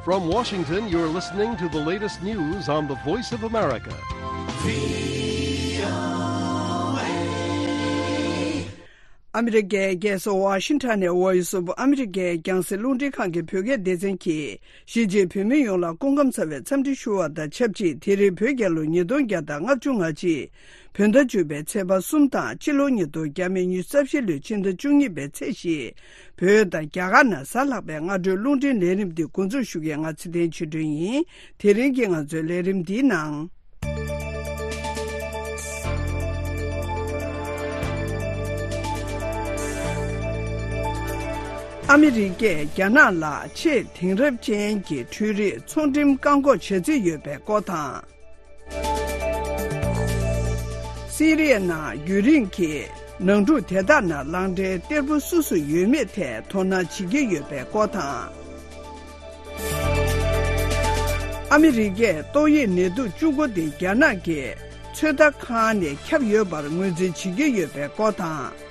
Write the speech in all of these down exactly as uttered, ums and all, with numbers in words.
From Washington, you're listening to the latest news on the Voice of America. ཨ་མི་རི་ཀའི་རྒྱལ་ས་ཝ་ཤིང་ཊོན་ནས་Voice of America རྒྱང་སྲིང་རླུང་འཕྲིན་ཁང་གི་བོད་སྐད་སྡེ་ཚན་གྱིས། གཞིས་བྱེས་བོད་མི་ཡོངས་ལ་སྐུ་ཁམས་བཟང་བའི་འཚམས་འདྲི་ཞུ་བ་དང་ཆབས་ཅིག་དེ་རིང་བོད་རྒྱལ་ལོ་ཉིས་སྟོང་བརྒྱ་དང་ལྔ་བཅུ་ང་གཅིག་བོད་ཟླ་བཅུ་པའི་ཚེས་པ་གསུམ་དང་། ཕྱི་ལོ་ཉིས་སྟོང་ཉི་ཤུ་རྩ་བཞི་ལོའི་ཕྱི་ཟླ་བཅུ་གཉིས་པའི་ཚེས་བཞི། བོད་དང་རྒྱ་གར་ནང་གཟའ་ལྷག་པའི་སྔ་དྲོའི་རླུང་འཕྲིན་ལས་རིམ་འདི་འགོ་འཛུགས་ཞུ་མཁན་ང་ཚེ་བརྟན་ཆོས་སྒྲོན་ཡིན། དེ་རིང་གི་ང་ཚོའི་ལས་རིམ་འདིའི་ནང་། ཨ་མི་རི་ཀས་རྒྱ་ནག་ལ་ཆེས་དེང་རབས་ཅན་གྱི་འཕྲུལ་རིག་ཚོང་འགྲེམས་བཀག་འགོག་བྱ་རྩིས་ཡོད་པའི་སྐོར་དང་། སི་རི་ཡའི་ནང་རྒྱུན་རིང་གི་ནང་འཁྲུག་དེ་དག་ནང་ལག་འབྲེལ་གཏེར་པོ་སུ་སུ་ཡོད་མེད་ཐད་དོ་སྣང་བྱེད་ཀྱི་ཡོད་པའི་སྐོར་དང་། ཨ་མི་རི་ཀས་ཏོག་དབྱིབས་ནད་དུག་བཅུ་དགུ་དེ་རྒྱ་ནག་གི་ཚོད་ལྟ་ཁང་ནས་ཁྱབ་ཡོད་པར་ངོས་འཛིན་བྱེད་ཀྱི་ཡོད་པའི་སྐོར་དང་།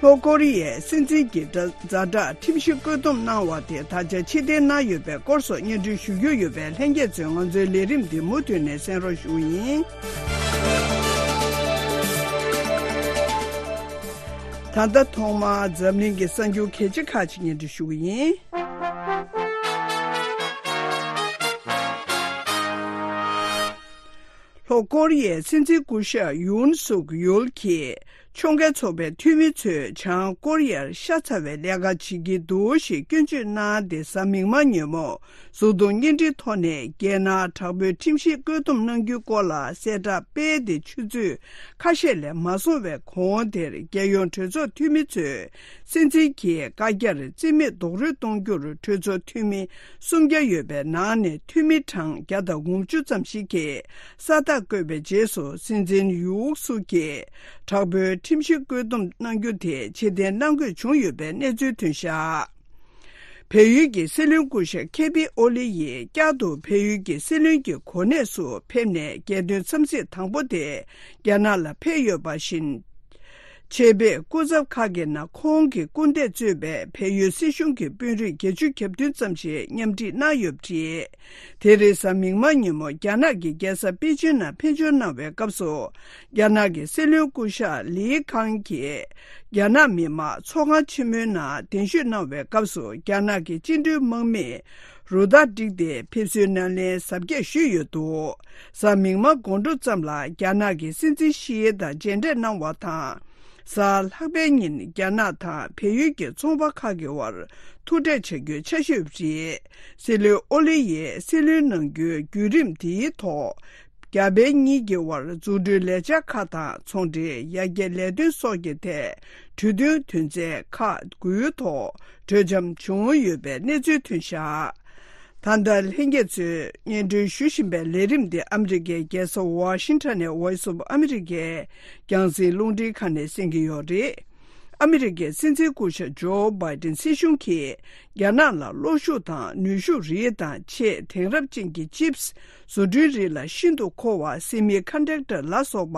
ལྷོ་ཀོ་རི་ཡའི་སྲིད་འཛིན་གྱི་ཛ་དྲག་ཁྲིམས་གཞི་བཀོད་འདོམས་གནང་བ་དེ་ད་ཆ་ཕྱིར་འཐེན་གནང་ཡོད་པའི་སྐོར་སོགས་སྙན་སྒྲོན་ཞུ་རྒྱུ་ཡོད་པས། ལྷན་རྒྱས་ཚོས་ང་ཚོའི་ལས་རིམ་འདི་མུ་མཐུད་ནས་གསན་རོགས་ཞུ་ཡིན། ད་ལྟ་ཐོག་མར་འཛམ་གླིང་གི་གསར་འགྱུར་གལ་ཆེ་ཁག་ཅིག་སྙན་སྒྲོན་ཞུ་གི་ཡིན། ལྷོ་ཀོ་རི་ཡའི་སྲིད་འཛིན་སྐུ་ཞབས་ཡུན་སུག་ཡོལ་གྱིས་ཕྱོགས་འགལ་ཚོགས་པའི་འཐུས་མི་ཚོས་བྱང་ཀོ་རི་ཡར་ཤ་ཚ་བའི་ལས་ཀ་བྱེད་ཀྱི་འདུག་ཞེས་སྐྱོན་བརྗོད་གནང་སྟེ། གཟའ་མིག་དམར་ཉིན་མོ་གཟུགས་མཐོང་བརྙན་འཕྲིན་ཐོག་ནས་རྒྱལ་ནང་དྲག་པོའི་ཁྲིམས་གཞི་བཀོད་འདོམས་གནང་རྒྱུའི་སྐོར་ལ་གསལ་བསྒྲགས་སྤེལ་ཏེ། ཆུ་ཚོད་ཁ་ཤས་ལས་མ་སོང་བའི་གོང་དེར་རྒྱལ་ཡོངས་གྲོས་ཚོགས་འཐུས་མི་ཚོས་སྲིད་འཛིན་གྱི་བཀའ་རྒྱར་རྩིས་མེད་རྡོག་རོལ་གཏོང་རྒྱུར་གྲོས་ཚོགས་འཐུས་མི་སུམ་བརྒྱ་ཡོད་པའི་ནང་ནས་འཐུས་མི་གྲངས་བརྒྱ་དང་དགུ་བཅུ་ཙམ་ཞིག་གིས་ས་རྟགས་བཀོད་པའི་རྗེས་སུ། སྲིད་འཛིན་ཡུག་སུག་གིས་དྲག་པོའི་ཁྲིམས་གཞི་བཀོད་འདོམས་གནང་རྒྱུ་དེ་ཕྱིར་འཐེན་གནང་དགོས་བྱུང་ཡོད་པའི་གནས་ཚུལ་ཐོན་བཞག་བལ་ཡུལ་གྱི་སྲིད་བློན་སྐུ་ཞབས་ཁེ་པི་ཨོ་ལི་ཡིས་བསྐྱར་དུ་བལ་ཡུལ་གྱི་སྲིད་བློན་གྱི་གོ་གནས་སུ་ཕེབས་ནས། རྒྱལ་དོན་འཚམས་གཟིགས་དང་པོ་དེ་རྒྱ་ནག་ལ་ཕེབས་ཡོད་པ་བཞིན། ཆེད་ཕེབས་སྐུ་ཚབ་ཁག་གི་ནང་ཁོང་གི་སྐུ་ཟླས་གཙོས་པའི་བལ་ཡུལ་སྲིད་གཞུང་གི་དཔོན་རིགས་བརྒྱད་ཅུ་གྱ་བདུན་ཙམ་ཞིག་མཉམ་འཁྲིད་གནང་ཡོད་པ་རེད། དེ་རིང་གཟའ་མིག་དམར་ཉིན་མོ་རྒྱ་ནག་གི་རྒྱལ་ས་པེ་ཅིན་ནང་ཕེབས་འབྱོར་གནང་བའི་སྐབས་སུ། རྒྱ་ནག་གི་སྲིད་བློན་སྐུ་ཞབས་ལི་ཁང་གིས་རྒྱ་ནག་མི་དམངས་ཚོགས་ཁང་ཆེན་མོའི་ནང་གདན་ཞུ་གནང་བའི་སྐབས་སུ། རྒྱ་ནག་གི་བཅིངས་འགྲོལ་དམག་མིས་རུ་སྟར་བསྒྲིགས་ཏེ་ཕེབས་བསུའི་སྣེ་ལེན་གཟབ་རྒྱས་ཞུས་ཡོད་འདུག་གཟའ་མིག་དམར་དགོང་དྲོ་ཙམ་ལ་རྒྱ་ནག་གི་སྲིད་འཛིན་ཞི་དང་མཇལ་འཕྲད་གནང་བ་དང་། གཟའ་ལྷག་པའི་ཉིན་རྒྱ་ནག་དང་བལ་ཡུལ་གྱི་ཚོང་པ་ཁག་གི་དབར་ཐུག་འཕྲད་བྱ་རྒྱུའི་འཆར་གཞི་ཡོད་པ་རེད། སྲིད་བློན་ཨོ་ལི་ཡིས་སྲིད་བློན་གནང་རྒྱུའི་བརྒྱུད་རིམ་དེའི་ཐོག་རྒྱ་བལ་གཉིས་ཀྱི་དབར་འཛུགས་སྐྲུན་ལས་འཆར་ཁག་དང་། ཚོང་འབྲེལ་ཡར་རྒྱས་ལས་དོན་སོགས་ཀྱི་ཐད་གྲོས་མཐུན་དོན་ཚན་ཁག་དགུའི་ཐོག་གྲོས་འཆམ་བྱུང་ཡོད་པའི་གནས་ཚུལ་ཐོན་བཞག་ད་ལྟ་ལྷན་རྒྱས་ཚོས་སྙན་སྒྲོན་ཞུ་བཞིན་པའི་ལས་རིམ་འདི་ཨ་མི་རི་ཀའི་རྒྱལ་ས་ཝ་ཤིང་ཊོན་ནས་Voice of America རྒྱང་སྲིང་རླུང་འཕྲིན་ཁང་ནས་གསན་གྱི་ཡོད་རེད། ཨ་མི་རི་ཀའི་སྲིད་འཛིན་སྐུ་ཞབས་ཇོ་བྷའི་ཏིན་སྲིད་གཞུང་གིས་རྒྱ་ནག་ལ་གློག་ཤུགས་དང་ནུས་ཤུགས་རིགས་དང་ཆེས་དེང་རབས་ཅན་གྱི་ཅིབས་བཟོ་སྐྲུན་རིགས་ལ་ཤིན་ཏུ་མཁོ་བ་སེ་མི་ཀོན་ཌག་ཊར་ལ་སོགས་པ་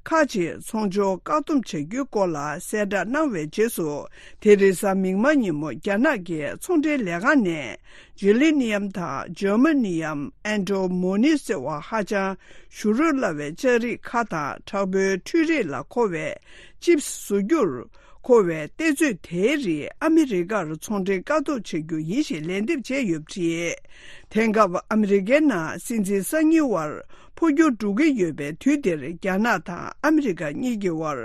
ཁག་ཅིག་ཚོང་སྦྱོར་བཀག་སྡོམ་བྱ་རྒྱུའི་སྐོར་ལ་གསལ་བསྒྲགས་གནང་བའི་རྗེས་སུ། དེ་རིང་གཟའ་མིག་དམར་ཉིན་མོ་རྒྱ་ནག་གི་ཚོང་འབྲེལ་ལས་ཁང་ནས་ཇི་ལི་ནི་ཡམ་དང་ཇར་མ་ནི་ཡམ་ཨན་ཏྲོ་མོ་ནི་ཟེར་བ་ཧ་ཅང་ཞུ་རོལ་སླ་བའི་ལྕགས་རིགས་ཁག་དང་། དྲག་པོའི་འཕྲུལ་རིག་ལ་མཁོ་བའི་ཅིབས་བཟོ་རྒྱུར་མཁོ་བའི་གཏེར་མཛོད་དེའི་རིགས་ཨ་མི་རི་ཀར་ཚོང་འབྲེལ་བཀག་སྡོམ་བྱ་རྒྱུ་ཡིན་ཞེས་ལན་འདེབས་བྱས་ཡོད་པ་རེད། དེང་སྐབས་ཨ་མི་རི་ཀའི་ནང་སྲིད་འཛིན་གསར་རྙིང་དབར་འཕོ་འགྱུར་འགྲོ་གི་ཡོད་པའི་དུས་འདིར། རྒྱ་ནག་དང་ཨ་མི་རི་ཀ་གཉིས་ཀྱི་དབར་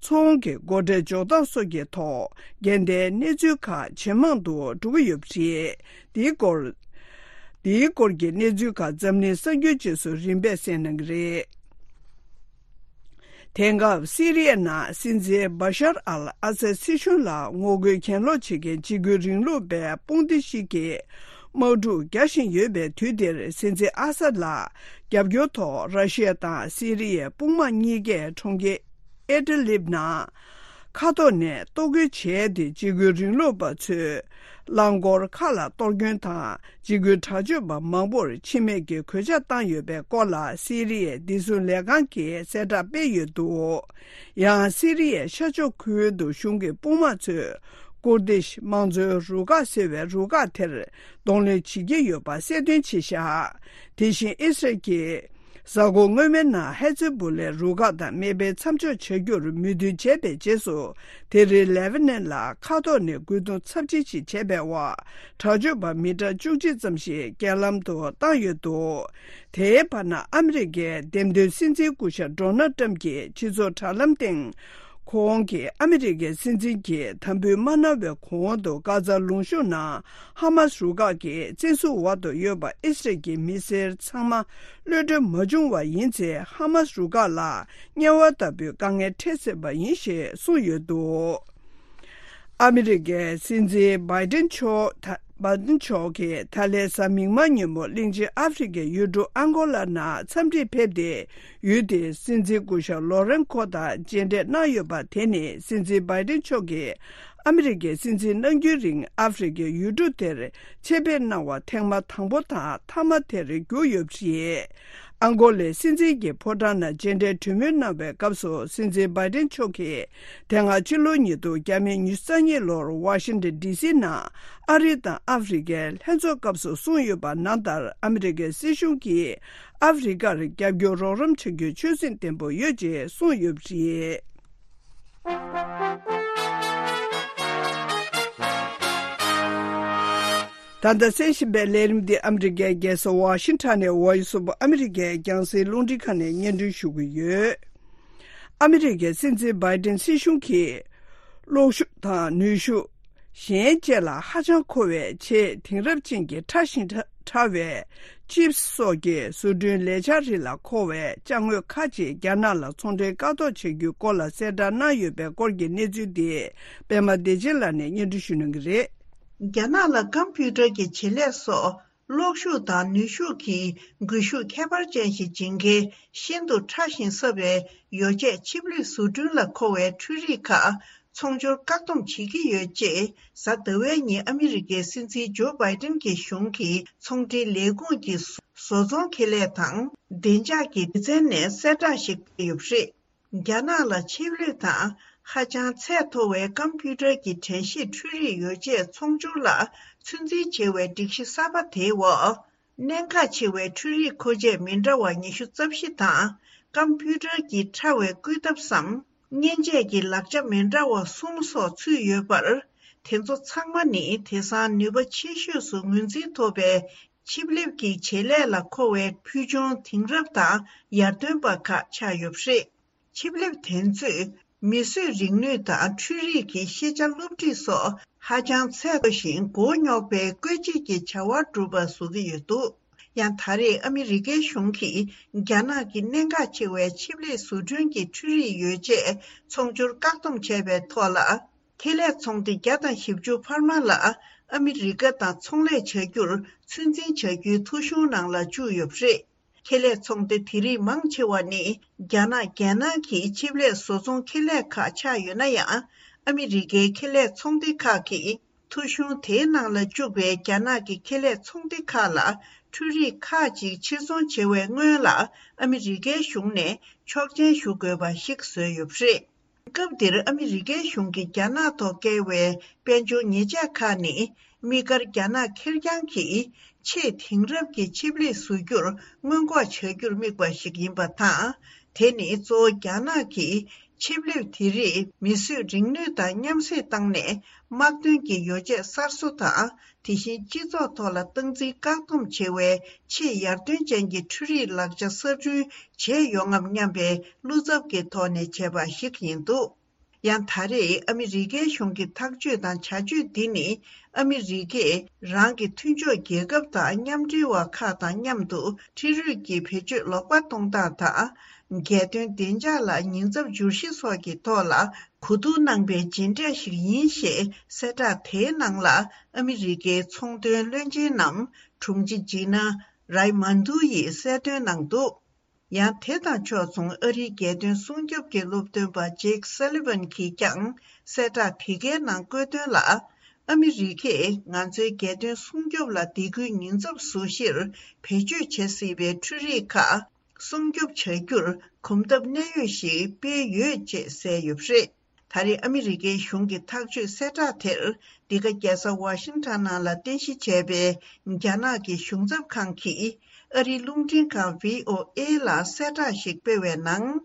ཚོང་གི་སྒོ་ཁྲལ་འཇོག་སྟངས་སོགས་ཀྱི་ཐོག་འགལ་ཟླའི་གནས་ཚུལ་ཁག་ཇེ་མང་དུ་འགྲོ་གི་ཡོད་པ་རེད། འདིའི་སྐོར། འདིའི་སྐོར་གྱི་གནས་ཚུལ་ཁག་འཛམ་གླིང་གསར་འགྱུར་རྗེས་སུ་རིམ་པས་གསན་གནང་གི་རེད། དེང་སྐབས་སི་རི་ཡའི་ནང་སྲིད་འཛིན་བྷ་ཤར་ཨལ་ཨ་སད་སྲིད་གཞུང་ལ་ངོ་རྒོལ་གྱེན་ལོག་བྱེད་མཁན་འཇིགས་སྐུལ་རིང་ལུགས་པའི་དཔུང་སྡེ་ཞིག་གིས་དམག་འཁྲུག་རྒྱག་བཞིན་ཡོད་པའི་དུས་འདིར། སྲིད་འཛིན་ཨ་སད་ལ་རྒྱབ་སྐྱོར་ཐོག་ར་ཤི་ཡ་དང་སི་རི་ཡའི་དཔུང་དམག་གཉིས་ཀས་གྲོང་ཁྱེར་ཨེ་ཏི་ལིབ་ནང་མཁའ་ཐོག་ནས་གཏོར་རྒོལ་བྱས་ཏེ། འཇིགས་སྐུལ་རིང་ལུགས་པ་ཚོས་རླངས་འཁོར་ཁག་ལ་གཏོར་སྐྱོན་དང་། འཇིགས་སྐུལ་དྲག་སྤྱོད་པ་མང་པོར་འཆི་རྨས་ཀྱི་གོད་ཆག་བཏང་ཡོད་པའི་སྐོར་ལ་སི་རི་ཡའི་བདེ་སྲུང་ལས་ཁང་གིས་གསལ་བསྒྲགས་སྤེལ་ཡོད་འདུག་ཡང་སི་རི་ཡའི་ཤར་ཕྱོགས་ཁུལ་དུ་གཞུང་གི་དཔུང་དམག་ཚོས་ ཀུར་དིཤ་དམངས་གཙོའི་རུ་ཁག་ཟེར་བའི་རུ་ཁག་དེར་གདོང་ལེན་བྱེད་ཀྱི་ཡོད་པ་གསལ་སྟོན་བྱས་བཞག་དེ་བཞིན་ཨི་སི་རལ་གྱིས་གཟའ་འཁོར་སྔོན་མའི་ནང་ཧེ་ཛི་བུ་ལའི་རུ་ཁག་དང་མེ་འཕེན་མཚམས་འཇོག་བྱ་རྒྱུར་མོས་མཐུན་བྱས་པའི་རྗེས་སུ། དེ་རིང་ལེ་བྷ་ནན་ལ་མཁའ་ཐོག་ནས་རྒོལ་རྡུང་ཚབས་ཆེན་ཞིག་བྱས་པའི་འོག་དྲག་སྤྱོད་པ་མི་གྲངས་བཅུ་གཅིག་ཙམ་ཞིག་རྐྱེན་ལམ་དུ་བཏང་ཡོད་འདུག་དེའི་བར་ན་ཨ་མི་རི་ཀའི་འདེམས་ཐོན་སྲིད་འཛིན་སྐུ་ཞབས་ཌོ་ནལ་ཏྲམ་གྱི་སྤྱི་ཚོགས་དྲ་ལམ་སྟེང་། ཁོང་གིས་ཨ་མི་རི་ཀའི་སྲིད་འཛིན་གྱི་དམ་འབུལ་མ་གནང་བའི་གོང་དུ། གྷ་ཛ་ལུང་གཤོང་ནང་ཧ་མཱས་རུ་ཁག་གི་བཙན་བཟུང་འོག་ཏུ་ཡོད་པ་ཨི་སི་རལ་གྱི་མི་སེར་ཚང་མ་གློད་གྲོལ་མ་བྱུང་བ་ཡིན་ཚེ། ཧ་མཱས་རུ་ཁག་ལ་དམྱལ་བ་ལྟ་བུའི་དཀའ་ངལ་འཕྲད་སྲིད་པ་ཡིན་ཞེས་གསུངས་ཡོད་འདུག་ཨ་མི་རི་ཀའི་སྲིད་འཛིན་བྷའི་ཏིན་མཆོག་ད་བྷའི་ཏིན་མཆོག་གིས་ད་ལན་གཟའ་མིག་དམར་ཉིན་མོ་གླིང་ཆེན་ཨ་ཧྥེ་རི་ཁའི་ཡུལ་གྲུ་ཨང་གོ་ལ་ནང་འཚམས་འདྲིར་ཕེབས་ཏེ། ཡུལ་དེའི་སྲིད་འཛིན་སྐུ་ཞབས་ལོ་རེན་ཁོ་དང་མཇལ་འཕྲད་གནང་ཡོད་པ། དེ་ནི་སྲིད་འཛིན་བྷའི་ཏིན་མཆོག་གིས་ཨ་མི་རི་ཀའི་སྲིད་འཛིན་གནང་རྒྱུའི་རིང་ཨ་ཧྥེ་རི་ཁའི་ཡུལ་གྲུ་དེར་ཆེད་ཕེབས་གནང་བ་ཐེངས་མ་དང་པོ་དང་མཐའ་མ་དེར་གྱུར་ཡོད་པ་རེད། ཨང་གོ་ལའི་སྲིད་འཛིན་གྱི་ཕོ་བྲང་ནང་མཇལ་འཕྲད་གྲོས་མོལ་གནང་བའི་སྐབས་སུ། སྲིད་འཛིན་བྷའི་ཏིན་མཆོག་གིས་དེ་སྔ་ཕྱི་ལོ་ཉིས་སྟོང་ཉི་ཤུ་རྩ་གཉིས་ལོར་ཝ་ཤིང་ཏན་ཌི་སི་ནང་ཨ་རི་དང་ཨ་ཧྥེ་རི་ཁའི་ལྷན་ཚོགས་སྐབས་སུ་གསུངས་ཡོད་པ་ནང་ལྟར། ཨ་མི་རི་ཀའི་སྲིད་གཞུང་གིས་ཨ་ཧྥེ་རི་ཁར་རྒྱབ་སྐྱོར་རོགས་རམ་བྱ་རྒྱུའི་ཆོད་སེམས་བརྟན་པོ་ཡོད་ཅེས་གསུངས་ཡོད་པ་རེད། ད་ལྟ་གསན་བཞིན་པའི་ལས་རིམ་འདི་ཨ་མི་རི་ཀའི་རྒྱལ་ས་ཝ་ཤིང་ཊོན་ནས་ཝོ་ཡི་སི་ཨོཕ་ཨ་མི་རི་ཀའི་རྒྱང་སྲིང་རླུང་འཕྲིན་ཁང་ནས་སྙན་སྒྲོན་ཞུ་གི་ཡོད། ཨ་མི་རི་ཀའི་སྲིད་འཛིན་བྷའི་ཏིན་སྲིད་གཞུང་གིས། གློག་ཤུགས་དང་ནུས་ཤུགས། གཞན་བཅས་ལ་ཧ་ཅང་མཁོ་བའི་ཆེས་དེང་རབས་ཅན་གྱི་ཕྲ་ཞིང་ཕྲ་བའི་ཅིབ་སི་སོགས་ཀྱི་བཟོ་སྐྲུན་ལས་འཆར་རིགས་ལ་མཁོ་བའི་ཅ་དངོས་ཁག་ཅིག་རྒྱ་ནག་ལ་ཚོང་འབྲེལ་བཀག་འགོག་བྱ་རྒྱུའི་སྐོར་ལ་གསལ་བསྒྲགས་གནང་ཡོད་པའི་སྐོར་གྱི་གནས་ཚུལ་འདི། པད་མ་བདེ་ཆེན་ལགས་ནས་སྙན་སྒྲོན་ཞུ་གནང་གི་རེད། རྒྱ་ནག་ལ་ཀམ་པུ་ཊར་གྱི་བྱེད་ལས་སོགས། གློག་ཤུགས་དང་ནུས་ཤུགས་ཀྱི་སྒུལ་ཤུགས་ཁྱད་པར་ཅན་ཞིག་སྦྱིན་མཁན་ཤིན་ཏུ་ཕྲ་ཞིང་གསར་བའི་ཡོ་བྱད་ཆིབས་ལེབ་བཟོ་སྐྲུན་ལ་མཁོ་བའི་འཕྲུལ་རིག་ཁག་ཚོང་སྦྱོར་བཀག་སྡོམ་བྱེད་ཀྱི་ཡོད་ཅེས། གཟའ་ཟླ་བའི་ཉིན་ཨ་མི་རི་ཀའི་སྲིད་འཛིན་ཇོ་བྷའི་ཏིན་གྱི་གཞུང་གི་ཚོང་འབྲེལ་ལས་ཁུངས་ཀྱི་བཟོ་ཚོང་ཁེ་ལས་དང་བདེ་འཇགས་ཀྱི་སྡེ་ཚན་ནས་གསལ་བསྒྲགས་ཤིག་སྤེལ་ཡོད་པ་རེད། རྒྱ་ནག་ལ་ཆིབས་ལེབ་དང་ཧ་ཅང་ཚད་མཐོ་བའི་ཀམ་པུ་ཊར་གྱི་དྲན་ཤེས་འཕྲུལ་རིག་ཡོ་བྱད་ཚོང་སྦྱོར་ལ་ཚོད་འཛིན་བྱེད་པའི་སྒྲིག་གཞི་གསར་པ་དེའི་འོག་གནད་འགག་ཆེ་བའི་འཕྲུལ་རིག་མཁོ་ཆས་མི་འདྲ་བ་ཉི་ཤུ་རྩ་བཞི་དང་། ཀམ་པུ་ཊར་གྱི་ཕྲ་བའི་བཀོད་ཐབས་སམ། མཉེན་ཆས་ཀྱི་ལག་ཆ་མི་འདྲ་བ་གསུམ་སོགས་ཚུད་ཡོད་པར། དེ་ཚོ་ཚང་མ་ནི་དེང་སང་ནུས་པ་ཆེ་ཤོས་སུ་ངོས་འཛིན་ཐོབ་པའི་ཆིབས་ལེབ་ཀྱི་བྱེད་ལས་ལ་མཁོ་བའི་ཕུལ་བྱུང་དེང་རབས་དང་ཡར་ཐོན་པ་ཁག་ཆགས་ཡོད་པ་རེད། ཆིབས་ལེབ་དེ་ཚོས་མིས་བཟོས་རིག་ནུས་དང་འཕྲུལ་རིག་གི་ཤེས་བྱ་སློབ་ཁྲིད་སོགས་ཧ་ཅང་ཚད་མཐོ་ཞིང་མགོ་རྙོག་པའི་བཀོལ་སྤྱོད་ཀྱི་བྱ་བ་སྒྲུབ་པ་བཟོ་གི་ཡོད་འདུག་ཡང་ད་རེས་ཨ་མི་རི་ཀའི་གཞུང་གིས་རྒྱ་ནག་གི་གནད་འགག་ཆེ་བའི་ཆིབས་ལེབ་བཟོ་སྐྲུན་གྱི་འཕྲུལ་རིག་ཡོ་བྱད་ཚོང་སྦྱོར་བཀག་སྡོམ་བྱས་པའི་ཐོག་ལ། ཁེ་ལས་ཚོང་སྡེ་བརྒྱ་དང་བཞི་བཅུ་འཕར་མ་ལ་ཨ་མི་རི་ཀ་དང་ཚོང་ལས་བྱ་རྒྱུར་ཚོད་འཛིན་བྱ་རྒྱུའི་ཐོ་གཞུང་ནང་ལ་བཅུག་ཡོད་པ་རེད། ཁེ་ལས་ཚོང་སྡེ་དེ་རིགས་མང་ཆེ་བ་ནི་རྒྱ་ནག་རྒྱལ་ནང་གི་ཆིབས་ལེབ་བཟོ་ཚོང་ཁེ་ལས་ཁག་ཆགས་ཡོད་ན་ཡང་། ཨ་མི་རི་ཀའི་ཁེ་ལས་ཚོང་སྡེ་ཁག་གིས་ཐོ་གཞུང་དེའི་ནང་ལ་བཅུག་པའི་རྒྱ་ནག་གི་ཁེ་ལས་ཚོང་སྡེ་ཁག་ལ་འཕྲུལ་རིག་ཁག་ཅིག་ཕྱིར་ཚོང་བྱེད་པའི་སྔོན་ལ་ཨ་མི་རི་ཀའི་གཞུང་ནས་ཆོག་མཆན་ཞུ་དགོས་པ་ཞིག་བཟོས་ཡོད་པ་རེད། སྐབས་འདིར་ཨ་མི་རི་ཀའི་གཞུང་གིས་རྒྱ་ནག་ཐོག་བཀལ་བའི་དཔལ་འབྱོར་ཉེས་ཆད་ཁག་ནི། དམིགས་བཀར་རྒྱ་ནག་ཁེར་རྐྱང་གི་ཆེས་དེང་རབས་ཀྱི་ཆིབས་ལེབ་བཟོ་རྒྱུར་སྔོན་འགོག་བྱ་རྒྱུར་དམིགས་པ་ཞིག་ཡིན་པ་དང་། དེ་ནི་གཙོ་བོ་རྒྱ་ནག་གིས་ཆིབས་ལེབ་དེ་རིགས་མིས་བཟོས་རིག་ནུས་དང་མཉམ་བསྲེས་བཏང་ནས། དམག་དོན་གྱི་ཡོ་བྱད་གསར་བཟོ་དང་། དེ་བཞིན་སྤྱི་ཚོགས་ཐོག་ལ་སྟངས་འཛིན་བཀག་སྡོམ་བྱེད་པའི་ཆེས་ཡར་ཐོན་ཅན་གྱི་འཕྲུལ་རིག་ལག་ཆ་གསར་སྐྲུན་བྱས་ཡོང་ངམ་སྙམ་པའི་བློ་འཚབ་ཀྱི་ཐོག་ནས་བྱས་པ་ཞིག་ཡིན་འདུག་ཡང་ད་རེས་ཨ་མི་རི་ཀའི་གཞུང་གི་ཐག་གཅོད་དང་བྱ་སྤྱོད་འདི་ནི། ཨ་མི་རི་ཀས་རང་གི་མཐུན་ཕྱོགས་རྒྱལ་ཁབ་དང་མཉམ་འབྲེལ་བ་ཁག་དང་མཉམ་དུ་འཕྲུལ་རིག་གི་བེད་སྤྱོད་ལོག་པ་གཏོང་སྟངས་དང་། རྒྱལ་དོན་བདེ་འཇགས་ལ་ཉེན་ཚབས་འབྱོར་གཞི་སོགས་ཀྱི་ཐོག་ལ་གོ་བསྡུར་གནང་པའི་མཇལ་འཕྲད་ཞིག་ཡིན་ཞེས་གསལ་བསྒྲགས་དེའི་ནང་ལ་ཨ་མི་རི་ཀའི་ཚོང་དོན་བློན་ཆེན་ནམ་དྲུང་ཆེ་ཇི་ན་རའི་མན་དུ་ཡིས་གསལ་སྟོན་གནང་འདུག་ཡང་དེ་དང་ཕྱོགས་མཚུངས་ཨ་རིའི་རྒྱལ་དོན་སྲུང་སྐྱོབ་ཀྱི་སློབ་སྟོན་པ་ཇེག་སཱ་ལི་ཝན་གྱིས་ཀྱང་གསལ་བསྒྲགས་དེ་གའི་ནང་བཀོད་དོན་ལ། ཨ་མི་རི་ཀས་ང་ཚོའི་རྒྱལ་དོན་སྲུང་སྐྱོབ་ལ་སྡིགས་སྐུལ་ཉེན་ཚབས་བཟོ་གཞིར་བེད་སྤྱོད་བྱེད་སྲིད་པའི་འཕྲུལ་རིག་ཁག་སྲུང་སྐྱོབ་བྱ་རྒྱུར་གོམ་སྟབས་གནད་ཡོད་ཞིག་སྤེལ་ཡོད་ཅེས་གསལ་ཡོད་པ་རེད། ད་རེས་ཨ་མི་རི་ཀའི་གཞུང་གི་ཐག་གཅོད་གསལ་བསྒྲགས་དེར། འདི་ག་རྒྱལ་ས་ཝ་ཤིང་ཊོན་ནང་ལ་རྟེན་གཞི་བྱས་པའི་རྒྱ་ནག་གི་གཞུང་ཚབ་ཁང་གིས་ཨ་རིའི་རླུང་འཕྲིན་ཁང་བྷི་ཨོ་ཨེ་ལ་གསལ་བསྒྲགས་ཤིག་སྤེལ་བའི་ནང་།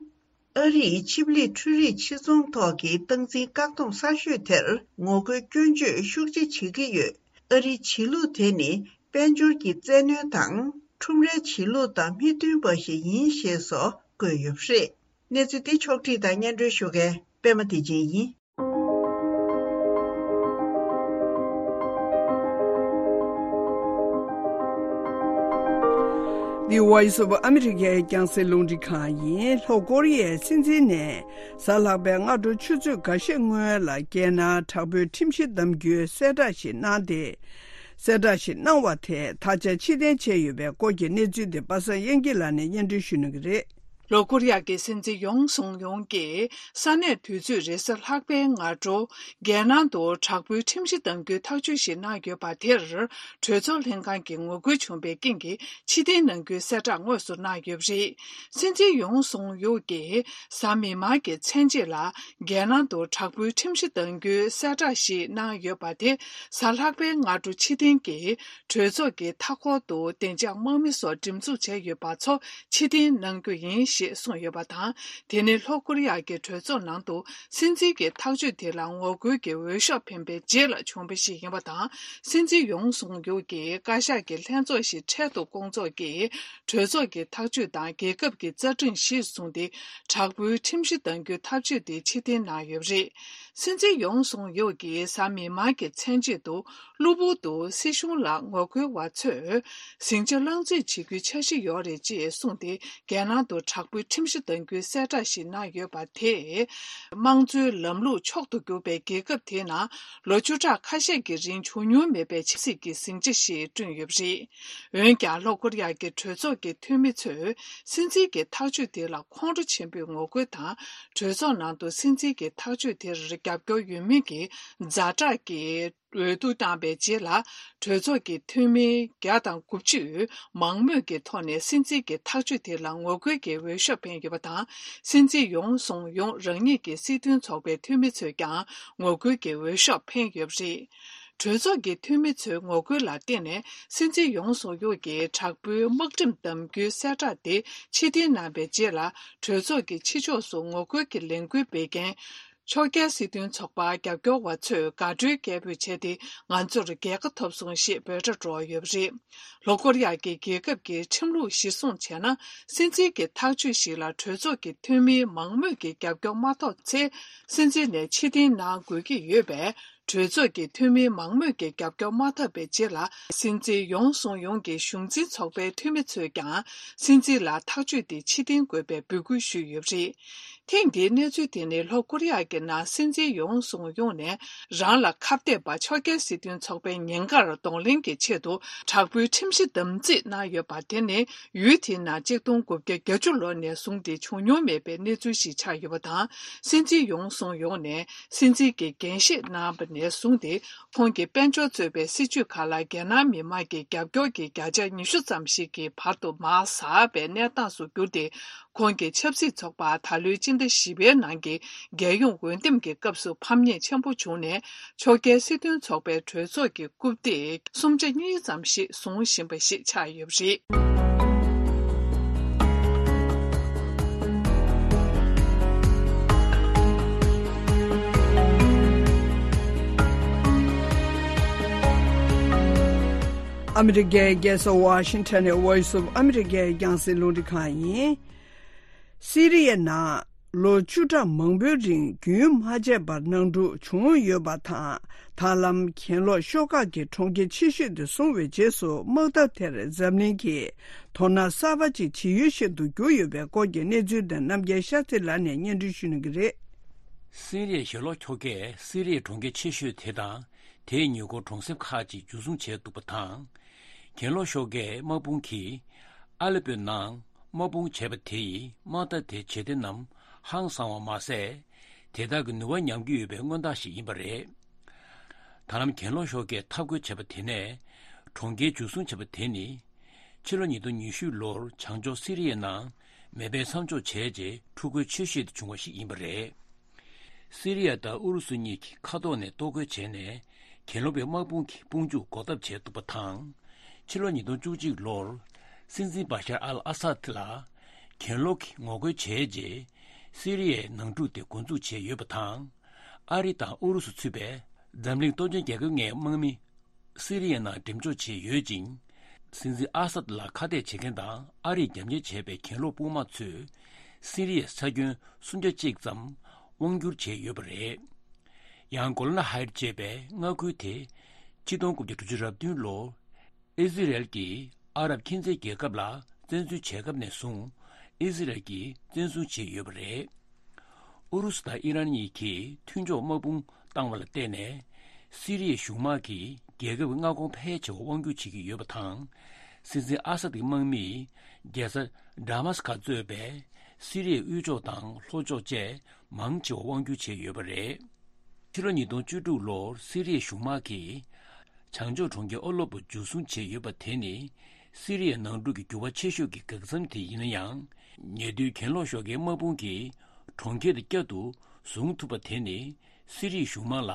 ཨ་རིས་ཆིབས་ལིག་འཕྲུལ་རིག་ཕྱིར་ཚོང་ཐོག་གི་སྟངས་འཛིན་བཀག་སྡོམ་གསར་ཤོས་དེར་ངོ་རྒོལ་སྐྱོན་བརྗོད་ཤུགས་ཆེ་བྱེད་ཀྱི་ཡོད། ཨ་རིའི་བྱེད་ལུགས་དེ་ནི་དཔལ་འབྱོར་གྱི་བཙན་གནོན་དང་ཁྲོམ་རའི་བྱེད་ལུགས་དང་མི་མཐུན་པ་ཞིག་ཡིན་ཞེས་སོགས་བཀོད་ཡོད་པ་རེད། གནས་ཚུལ་འདི་ཕྱོགས་བསྒྲིགས་དང་སྙན་སྒྲོན་ཞུ་མཁན་པད་མ་བདེ་ཆེན་ཡིན། The Voice of America རྒྱང་སྲིང་རླུང་འཕྲིན་ཁང་ཡིན། ལྷོ་ཀོ་རི་ཡའི་སྲིད་འཛིན་ནས་གཟའ་ལྷག་པའི་སྔ་དྲོ་ཆུ་ཚོད་འགའ་ཤས་སྔོན་ལ་རྒྱལ་ནང་དྲག་པོའི་ཁྲིམས་གཞི་གདམ་རྒྱུའི་གསལ་བསྒྲགས་ཤིག་གནང་སྟེ། གསལ་བསྒྲགས་ཤིག་གནང་བ་དེ་ད་ཆ་ཕྱིར་འཐེན་བྱས་ཡོད་པའི་སྐོར་གྱི་གནས་ཚུལ་དེ་པ་སངས་དབྱངས་སྐྱིད་ལགས་ནས་སྙན་སྒྲོན་ཞུ་གནང་གི་རེད། ལྷོ་ཀོ་རི་ཡ་གི་སྲིད་འཛིན་ཡོང་སུང་ཡོང་གིས་ས་གནས་དུས་ཚོད་རེས་གཟའ་ལྷག་པའི་སྔ་དྲོ། རྒྱལ་ནང་དུ་དྲག་པོའི་ཁྲིམས་གཞི་གདམ་རྒྱུའི་ཐག་གཅོད་ཞིག་གནང་ཡོད་པ་དེར། གྲོས་ཚོགས་ལྷན་ཁང་གིས་ངོ་རྒོལ་བྱུང་བའི་རྐྱེན་གྱིས་ཕྱིར་འཐེན་གནང་རྒྱུའི་གསལ་བསྒྲགས་དངོས་སུ་གནང་ཡོད་པ་རེད། སྲིད་འཛིན་ཡོང་སུང་ཡོག་གིས་གཟའ་མིག་དམར་གྱི་མཚན་རྗེས་ལ། རྒྱལ་ནང་དུ་དྲག་པོའི་ཁྲིམས་གཞི་གདམ་རྒྱུའི་གསལ་བསྒྲགས་ཤིག་གནང་ཡོད་པ་དེ། གཟའ་ལྷག་པའི་སྔ་དྲོ་ཕྱིར་འཐེན་གྱིས། གྲོས་ཚོགས་ཀྱི་མཐའ་འཁོར་དུ་བདེ་འཇགས་དམག་མི་སོགས་སྒྲིག་འཛུགས་བྱས་ཡོད་པ་ཚོ་ཕྱིར་འཐེན་གནང་རྒྱུ་ཡིན་ཞེས་གསུངས་ཡོད་པ་དང་། དེ་ནི་ལྷོ་ཀོ་རི་ཡ་གི་གྲོས་ཚོགས་ནང་དུ་སྲིད་འཛིན་གྱི་ཐག་གཅོད་དེ་ལ་ངོ་རྒོལ་གྱི་འོས་ཤོག་འཕེན་པའི་རྗེས་ལ་བྱུང་བ་ཞིག་ཡིན་པ་དང་། སྲིད་འཛིན་ཡོང་སུང་ཡུག་གིས་བཀའ་ཤག་གི་ལྷན་ཚོགས་ཤིག་འཕྲལ་དུ་བསྐོང་ཚོགས་ཀྱིས། གྲོས་ཚོགས་ཀྱི་ཐག་གཅོད་དང་རྒྱལ་ཁབ་ཀྱི་རྩ་ཁྲིམས་གཞིར་བཟུང་སྟེ། དྲག་པོའི་ཁྲིམས་གཞི་གཏང་རྒྱུའི་ཐབས་ཇུས་དེ་ཕྱིར་འཐེན་གནང་ཡོད་པ་རེད། སྲིད་འཛིན་ཡོང་སུང་ཡུག་གིས་གཟའ་མིག་དམར་གྱི་མཚན་ཕྱེད་དུ། གློ་བུར་དུ་སྲིད་གཞུང་ལ་ངོ་རྒོལ་བ་ཚོས་ཟིང་ཆ་བསླང་རྩིས་བྱེད་རྒྱུའི་འཆར་གཞི་ཡོད་རེད་ཅེས་གསུངས་ཏེ། རྒྱལ་ནང་དུ་དྲག་པོའི་ཁྲིམས་གཞི་གཏང་རྒྱུའི་གསལ་བསྒྲགས་ཤིག་གནང་ཡོད་པ་དེས། དམངས་གཙོའི་ལམ་ལུགས་མཆོག་ཏུ་གྱུར་པའི་རྒྱལ་ཁབ་དེའི་ནང་ལོ་བཅུ་ཕྲག་ཁ་ཤས་ཀྱི་རིང་བྱུང་མྱོང་མེད་པའི་ཆབ་སྲིད་ཀྱི་ཟིང་ཆ་ཞིག་བསྐྲུན་ཡོད་པ་རེད། འོན་ཀྱང་། ལྷོ་ཀོ་རི་ཡ་གི་གྲོས་ཚོགས་ཀྱི་འཐུས་མི་ཚོས། སྲིད་འཛིན་གྱི་ཐག་གཅོད་དེ་ལ་ཁོང་ཁྲོ་ཆེན་པོས་ངོ་རྒོལ་དང་། གྲོས་ཚོགས་ནང་དུ་སྲིད་འཛིན་གྱི་ཐག་གཅོད་དེར་རྒྱབ་སྐྱོར་ཡོད་མིན་གྱི་ཛ་དྲག་གི་འོས་བསྡུ་བཏང་བའི་རྗེས་ལ། གྲོས་ཚོགས་ཀྱི་འཐུས་མི་བརྒྱ་དང་དགུ་བཅུས་མང་མོས་ཀྱི་ཐོག་ནས་སྲིད་འཛིན་གྱི་ཐག་གཅོད་དེ་ལ་ངོ་རྒོལ་གྱི་འོས་ཤོག་འཕེན་ཡོད་པ་དང་། སྲིད་འཛིན་ཡོང་སུང་ཡོང་རང་ཉིད་ཀྱི་སྲིད་དོན་ཚོགས་པའི་འཐུས་མི་ཚོས་ཀྱང་ངོ་རྒོལ་གྱི་འོས་ཤོག་འཕེན་ཡོད་པ་རེད། གྲོས་ཚོགས་ཀྱི་འཐུས་མི་ཚོའི་ངོ་རྒོལ་ལ་བརྟེན་ནས། སྲིད་འཛིན་ཡོང་སུང་ཡོག་གིས་དྲག་པོའི་དམག་ཁྲིམས་བསྡམ་རྒྱུའི་གསལ་བསྒྲགས་དེ་ཕྱིར་འཐེན་གནང་བའི་རྗེས་ལ། གྲོས་ཚོགས་ཀྱི་ཕྱི་ཕྱོགས་སུ་ངོ་རྒོལ་གྱི་ལས་འགུལ་སྤེལ་མཁན། ཕྱོགས་འགལ་སྲིད་དོན་ཚོགས་པ་རྒྱབ་སྐྱོར་བ་ཚོས་དགའ་སྤྲོའི་སྐད་འབོད་བྱས་ཏེ། ང་ཚོར་རྒྱལ་ཁ་ཐོབ་སོང་ཞེས་འབོད་སྒྲ་སྒྲོག་ཡོད་པ་རེད། ལྷོ་ཀོ་རི་ཡ་གི་རྒྱལ་ཁབ་ཀྱི་ཁྲིམས་ལུགས་གཞིར་བཟུང་བྱས་ན། སྲིད་འཛིན་གྱི་ཐག་གཅོད་ཞིག་ལ་གྲོས་ཚོགས་ཀྱི་འཐུས་མིའི་མང་མོས་ཀྱི་རྒྱབ་སྐྱོར་མ་ཐོབ་ཚེ། སྲིད་འཛིན་ནས་ཕྱིར་འཐེན་གནང་དགོས་ཀྱི་ཡོད་པས། གྲོས་ཚོགས་ཀྱི་འཐུས་མིའི་མང་མོས་ཀྱི་རྒྱབ་སྐྱོར་མ་ཐོབ་པའི་རྗེས་ལ། སྲིད་འཛིན་ཡོང་སུང་ཡོང་གི་གཞུང་འཛིན་ཚོགས་པའི་འཐུས་མི་ཚོས་ཀྱང་། སྲིད་འཛིན་ལ་ཐག་གཅོད་དེ་ཕྱིར་འཐེན་དགོས་པའི་འབོད་སྐུལ་ཞུས་ཡོད་པ་རེད། ཐེངས་འདིའི་གནས་ཚུལ་དེ་ནི་ལྷོ་ཀོ་རི་ཡ་གི་ནང་སྲིད་འཛིན་ཡོང་སུང་ཡོང་ནས་རང་ལ་ཁ་གཏད་པ་ཕྱོགས་འགལ་སྲིད་དོན་ཚོགས་པའི་ཉེན་ཁར་གདོང་ལེན་གྱི་ཆེད་དུ་དྲག་པོའི་ཁྲིམས་གཞི་དམ་བརྩིས་གནང་ཡོད་པ་དེ་ནི། ཡུལ་དེའི་ནང་གཅིག་སྟོང་དགུ་བརྒྱ་བརྒྱད་ཅུ་ལོ་ནས་བཟུང་སྟེ་བྱུང་མྱོང་མེད་པའི་གནས་ཚུལ་ཞིག་ཆགས་ཡོད་པ་དང་། སྲིད་འཛིན་ཡོང་སུང་ཡོང་ནས་སྲིད་འཛིན་གྱི་འགན་བཞེས་གནང་བ་ནས་བཟུང་སྟེ། ཁོང་གི་དཔལ་འབྱོར་གཙོས་པའི་སྲིད་ཇུས་ཁག་ལ་རྒྱལ་ནང་མི་མང་གི་རྒྱབ་སྐྱོར་གྱི་བརྒྱ་ཆ་ཉི་ཤུ་ཙམ་ཞིག་གི་བར་དུ་མར་ཟགས་པའི་གནས་སྟངས་སུ་གྱུར་ཏེ། ཁོང་གི་ཆབ་སྲིད་ཚོགས་པ་ད་ལོའི་སྤྱི་ཟླ་བཞི་པའི་ནང་གི་རྒྱལ་ཡོངས་འོས་འདེམས་ཀྱི་སྐབས་སུ་ཕམ་ཉེས་ཆེན་པོ་བྱུང་ནས། ཕྱོགས་འགལ་སྲིད་དོན་ཚོགས་པའི་གྲོས་ཚོགས་ཀྱི་རྐུབ་སྟེགས་གསུམ་ཆ་གཉིས་ཙམ་ཞིག་བཟུང་བཞིན་པ་ཞིག་ཆགས་ཡོད་པ་རེད། ཨ་མི་རི་ཀའི་རྒྱལ་ས་ཝ་ཤིང་ཊོན་ནས་Voice of America རྒྱང་སྲིང་རླུང་འཕྲིན་ཁང་ཡིན། སི་རི་ཡའི་ནང་ལོ་བཅུ་ཕྲག་མང་པོའི་རིང་རྒྱུན་མ་ཆད་པར་ནང་འཁྲུག་བྱུང་ཡོད་པ་དང་། ད་ལམ་གྱེན་ལོག་ཤོག་ཁག་གི་གྲོང་ཁྱེར་ཆེ་ཤོས་དེ་བཟུང་བའི་རྗེས་སུ། དམག་འཐབ་དེར་འཛམ་གླིང་གིས་དོ་སྣང་གསར་པ་ཅིག་བྱེད་ཡུལ་ཞིག་ཏུ་གྱུར་ཡོད་པའི་སྐོར་གྱི་གནས་ཚུལ་དེ་རྣམ་རྒྱལ་ཤཱ་སྟྲི་ལགས་ནས་སྙན་སྒྲོན་ཞུ་གནང་གི་རེད། སི་རི་ཡའི་གྱེན་ལོག་ཤོག་ཁགས་སི་རི་ཡའི་གྲོང་ཁྱེར་ཆེ་ཤོས་དེ་དང་། དེའི་ཉེ་འཁོར་གྲོང་གསེབ་ཁག་ཅིག་འཇུ་བཟུང་བྱས་འདུག་པ་དང་། གྱེན་ལོག་ཤོག་ཁགས་དམག་དཔུང་གིས་ཨ་ལེ་པོའི་ནང་དམག་དཔུང་བྱས་པ་དེ་ཡིས་དམག་འཐབ་དེ་ཇེ་བརྟན་ནམ་ཧང་སང་བ་མ་ཟད། དེ་དག་གི་ནུས་པ་ཉམས་ཀྱི་ཡོད་པའི་མངོན་རྟགས་ཤིག་ཡིན་པ་རེད། ད་ལམ་གྱེན་ལོག་ཤོག་ཁགས་འཐབ་རྒོལ་བྱས་པ་དེ་ནས། གྲོང་ཁྱེར་འཇུ་བཟུང་བྱས་པ་དེ་ནི། ཕྱི་ལོ་ཉིས་སྟོང་ཉི་ཤུ་ལོར་བྱང་ཕྱོགས་སི་རི་ཡའི་ནང་མེ་འཕེན་མཚམས་འཇོག་བྱས་རྗེས་འཁྲུག་རྒོལ་ཆེ་ཤོས་དེ་བྱུང་བ་ཞིག་ཡིན་པ་རེད། སི་རི་ཡ་དང་ཨུ་རུ་སུ་གཉིས་ཀྱིས་མཁའ་ཐོག་ནས་གཏོར་རྒོལ་བྱས་ནས། གྱེན་ལོག་པའི་དམག་དཔུང་གི་དཔུང་འཇུག་འགོག་ཐབས་བྱས་འདུག་པ་དང་། ཕྱི་ལོ་ཉིས་སྟོང་བཅུ་གཅིག་ལོར་སྲིད་འཛིན་བྷ་ཤར་ཨལ་ཨ་སཱད་ལ་གྱེན་ལོག་གིས་ངོ་རྒོལ་བྱས་རྗེས། སི་རི་ཡའི་ནང་འཁྲུག་དེ་འགོ་འཛུགས་བྱས་ཡོད་པ་དང་། ཨ་རི་དང་ཨུ་རུ་སུ་ཚུད་པའི་འཛམ་གླིང་སྟོབས་ཆེན་རྒྱལ་ཁབ་ལྔའི་དམག་མི། སི་རི་ཡའི་ནང་འགྲེམས་འཇོག་བྱས་ཡོད་ཅིང་། སྲིད་འཛིན་ཨ་སཱད་ལ་ཁ་གཏད་བྱེད་མཁན་དང་ཨ་རིས་རྒྱབ་གཉེར་བྱས་པའི་གྱེན་ལོག་དཔུང་དམག་ཚོས་སི་རི་ཡའི་ས་ཁྱོན་སུམ་ཆ་གཅིག་ཙམ་དབང་བསྒྱུར་བྱས་ཡོད་པ་རེད། ཡང་གོ་ལན་ཧའེ་ཊི་ཅེས་པའི་མངའ་ཁུལ་དེ་ཕྱི་སྟོང་དགུ་བརྒྱ་དྲུག་ཅུ་རེ་བདུན་ལོར་ཨི་ཟི་རེལ་གྱིས་ཨ་རབ་ཁྱིམ་མཚེས་རྒྱལ་ཁབ་ལ་བཙན་འཛུལ་བྱས་སྐབས་ནས་བཟུང་ཨི་ཟི་རེལ་གྱིས་བཙན་བཟུང་བྱས་ཡོད་པ་རེད། ཨུ་རུ་སུ་དང་ཨི་རན་གཉིས་ཀྱིས་མཐུན་ཕྱོགས་དམག་དཔུང་བཏང་བ་ལ་བརྟེན་ནས། སི་རི་ཡའི་གཞུང་དམག་གིས་རྒྱལ་ཁབ་མངའ་ཁོངས་ཕལ་ཆེ་བ་དབང་བསྒྱུར་བྱེད་ཀྱི་ཡོད་པ་དང་། སྲིད་འཛིན་ཨ་སཱད་ཀྱི་དམག་མིས་རྒྱལ་ས་ཌ་མཱ་སི་ཀ་གཙོས་པའི་སི་རི་ཡའི་དབུས་ཕྱོགས་དང་ལྷོ་ཕྱོགས་བཅས་མང་ཆེ་བ་དབང་བསྒྱུར་བྱས་ཡོད་པ་རེད། ཕྱི་ལོ་ཉིས་སྟོང་བཅུ་དྲུག་ལོར་སི་རི་ཡའི་གཞུང་དམག་གིས། བྱང་ཕྱོགས་གྲོང་ཁྱེར་ཨ་ལེ་པོ་འཇུ་བཟུང་བྱས་ཡོད་པ་དེ་ནི། སི་རི་ཡའི་ནང་འཁྲུག་གི་འགྱུར་བ་ཆེ་ཤོས་ཀྱི་འགག་མཚམས་དེ་ཡིན་ན་ཡང་། ཉེ་དུས་གྱེན་ལོག་ཤོག་ཁག་དམག་དཔུང་གིས་གྲོང་ཁྱེར་དེ་བསྐྱར་དུ་བཟུང་ཐུབ་པ་དེ་ནི། སི་རི་ཡའི་གཞུང་དམག་ལ་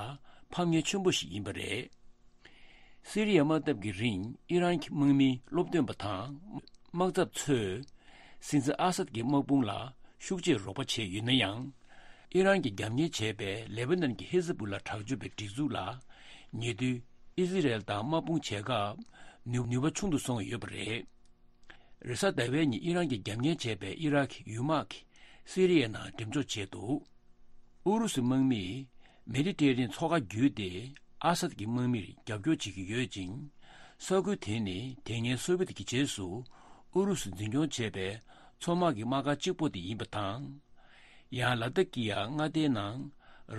ཕམ་ཉེས་ཆེན་པོ་ཞིག་ཡིན་པ་རེད། སི་རི་ཡའི་དམག་འཐབ་ཀྱི་རིང་ཨི་རན་གྱི་དམག་མི་སློབ་སྟོན་པ་དང་། དམག་ཚབ་ཚོས། སྲིད་འཛིན་ཨ་སཱད་ཀྱི་དམག་དཔུང་ལ་ཤུགས་ཆེར་རོགས་པ་བྱས་ཡོད་ན་ཡང་། ཨི་རན་གྱིས་རྒྱབ་གཉེར་བྱས་པའི་ལེ་བྷ་ནན་གྱི་ཧི་ཟ་བུ་ལ་དྲག་སྤྱོད་པའི་སྒྲིག་འཛུགས་ལ། ཉེ་དུས་ཨི་ཟི་རེལ་དང་དམག་དཔུང་བྱེད་སྐབས་ནུས་ནུས་པ་ཆུང་དུ་སོང་ཡོད་པ་རེད། རེས་གཟའ་ཟླ་བའི་ཉིན་ཨི་རན་གྱིས་རྒྱབ་གཉེར་བྱས་པའི་ཨི་རག་གི་ཡུལ་དམག་གིས་སི་རི་ཡའི་ནང་འགྲེམས་འཇོག་བྱས་འདུག་ཨུ་རུ་སུའི་དམག་མིས་མེ་ཌི་ཊེ་རི་ཡན་མཚོ་ཁ་བརྒྱུད་དེ་ཨ་སཱད་ཀྱི་དམག་མིར་རྒྱབ་སྐྱོར་བྱེད་ཀྱི་ཡོད་ཅིང་། ས་ཁུལ་དེ་ནི་དེ་སྔའི་སོ་བྷི་ཡེ་ཏི་གི་རྗེས་སུ་ཨུ་རུ་སུས་འཛིན་སྐྱོང་བྱས་པའི་མཚོ་དམག་གི་དམག་སྒར་གཅིག་པོ་དེ་ཡིན་པ་དང་། ཡང་ལ་ཏ་ཀི་ཡ་མངའ་སྡེའི་ནང་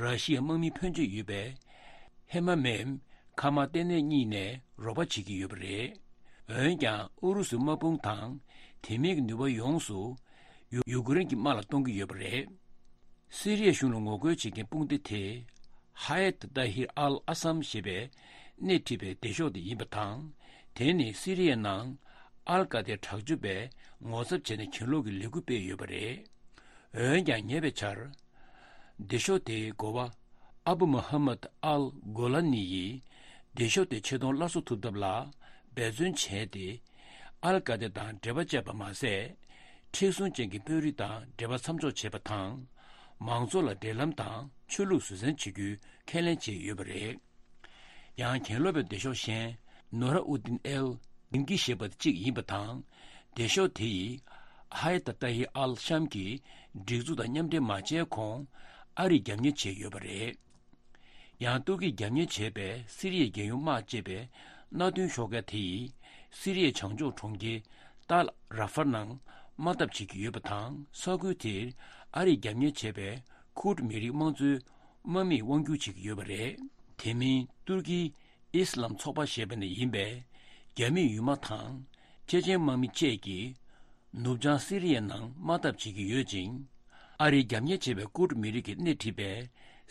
ར་ཤི་ཡའི་དམག་མི་ཕོན་ཆེ་ཡོད་པའི་ཧེ་མ་མེམ་ཁ་མ་ཏེ་ནེ་གཉིས་ནས་རོགས་པ་བྱེད་ཀྱི་ཡོད་པ་རེད། འོན་ཀྱང་ཨུ་རུ་སུའི་དམག་དཔུང་དང་དེ་མིན་གྱི་ནུས་པ་ཡོངས་སུ་ཡུ་ཡུ་ཀེ་རེན་གྱི་དམག་ལ་གཏོང་གི་ཡོད་པ་རེད། སི་རི་ཡའི་གཞུང་ལ་ངོ་རྒོལ་བྱེད་མཁན་དཔུང་སྡེ་དེ་ཧ་ཡད་ཏཱ་ཧིར་ཨལ་ཨ་སམ་ཞེས་པས་སྣེ་ཁྲིད་པའི་སྡེ་ཤོག་དེ་ཡིན་པ་དང་། དེ་ནི་སི་རི་ཡའི་ནང་ཨལ་ཀ་ཏའི་དྲག་སྤྱོད་པས་ངོ་ཚབ་བྱས་ནས་གྱེན་ལོག་གི་ལས་འགུལ་སྤེལ་ཡོད་པ་རེད། འོན་ཀྱང་ཉེ་བའི་ཆར། སྡེ་ཤོག་དེའི་འགོ་བ་ཨ་བུ་མུ་ཧམ་མད་ཨལ་གོ་ལ་ནི་ཡིས་སྡེ་ཤོག་དེ་ཆེ་མཐོང་སླར་གསོ་ཐུབ་ཐབས་ལ་འབད་བརྩོན་བྱས་ཏེ། ཨལ་ཀ་ཏེ་དང་འབྲེལ་བ་བཅད་པ་མ་ཟད། མཁྲེགས་བཟུང་ཅན་གྱི་དཔོན་རིགས་དང་འབྲེལ་བ་མཚམས་འཇོག་བྱས་པ་དང་། མང་ཚོགས་ལ་འབྲེལ་ལམ་དང་ཆོས་ལུགས་བཟོད་བསྲན་བྱེད་རྒྱུའི་ཁས་ལེན་བྱས་ཡོད་པ་རེད། ཡང་གྱེན་ལོག་པའི་སྡེ་ཤོག་གཞན་ནོ་ར་ཨུ་ཏིན་ཨེལ་དིང་གི་ཞེས་པ་གཅིག་ཡིན་པ་དང་། སྡེ་ཤོག་དེ་ཡིས་ཧ་ཡ་ཏ་ཏཱ་ཧི་ཨལ་ཤམ་གྱི་སྒྲིག་འཛུགས་དང་མཉམ་འབྲེལ་མ་བྱས་གོང་ཨ་རིས་རྒྱབ་གཉེར་བྱས་ཡོད་པ་རེད། ཡང་ཏུར་ཀིས་རྒྱབ་གཉེར་བྱས་པའི་སི་རི་ཡའི་རྒྱལ་ཡོངས་དམག་ཅེས་པའི་མནའ་མཐུན་ཤོག་ཁག་དེ་ཡིས་སི་རི་ཡའི་བྱང་ཕྱོགས་གྲོང་ཁྱེར་ཏཱལ་ར་ཧྥར་ནང་དམག་འཐབ་བྱེད་ཀྱི་ཡོད་པ་དང་། ས་ཁུལ་དེར་ཨ་རིས་རྒྱབ་གཉེར་བྱས་པའི་ཁུར་མི་རིགས་དམངས་གཙོའི་དམག་མིས་དབང་སྒྱུར་བྱེད་ཀྱི་ཡོད་པ་རེད། དེ་མིན་ཏུར་ཀིའི་ཨིས་ལམ་ཚོགས་པ་ཞེས་པ་ནས་ཡིན་པའི་རྒྱ་མིའི་ཡུལ་དམག་དང་། ཅེ་ཅེན་དམག་མི་བཅས་ཀྱིས་ནུབ་བྱང་སི་རི་ཡའི་ནང་དམག་འཐབ་བྱེད་ཀྱི་ཡོད་ཅིང་། ཨ་རིས་རྒྱབ་གཉེར་བྱས་པའི་ཀུར་མི་རིགས་ཀྱིས་སྣེ་ཁྲིད་པའི་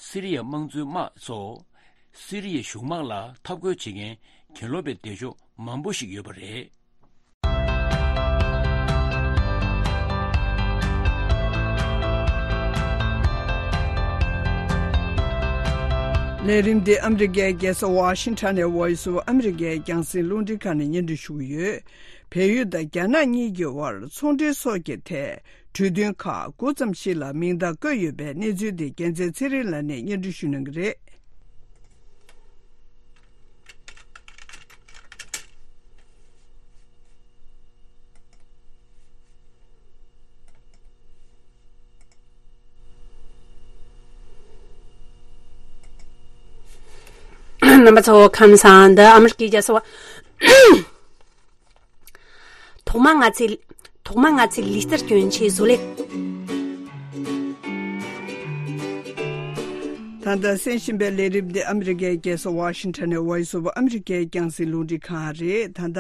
སི་རི་ཡའི་དམངས་གཙོའི་དམག་སོགས་སི་རི་ཡའི་གཞུང་དམག་ལ་འཐབ་རྒོལ་བྱེད་མཁན་གྱེན་ལོག་པའི་སྡེ་ཤོག་མང་པོ་ཞིག་ཡོད་པ་རེད། ལས་རིམ་འདི་ཨ་མི་རི་ཀའི་རྒྱལ་ས་ཝ་ཤིང་ཊོན་ནས་Voice of America་རྒྱང་སྲིང་རླུང་འཕྲིན་ཁང་ནས་སྙན་སྒྲོན་ཞུ་གི་ཡོད། བལ་ཡུལ་དང་རྒྱ་ནག་གཉིས་ཀྱི་དབར་ཚོང་འབྲེལ་སོགས་ཀྱི་ཐད་གྲོས་མཐུན་ཁག་དགུ་ཙམ་ཞིག་ལ་མིང་རྟགས་བཀོད་ཡོད་པའི་གནས་ཚུལ་འདི་རྒྱལ་མཚན་ཚེ་རིང་ལགས་ནས་སྙན་སྒྲོན་ཞུ་གནང་གི་རེད། རྣམ་པ་ཚོ་ཁམས་བཟང་། འདི་ཨ་མི་རི་ཀའི་རྒྱལ་ས་ཝ། ཐོག་མ་ང་ཚོས་ཐོག་མ་ང་ཚོས་ལུས་རྩལ་སྐྱོན་ཆེད་བཟོ་ལས། ད་ལྟ་གསན་བཞིན་པའི་ལས་རིམ་འདི་ཨ་མི་རི་ཀའི་རྒྱལ་ས་ཝ་ཤིང་ཊོན་ནས་Voice of America་རྒྱང་སྲིང་རླུང་འཕྲིན་ཁང་རེད། ད་ལྟ་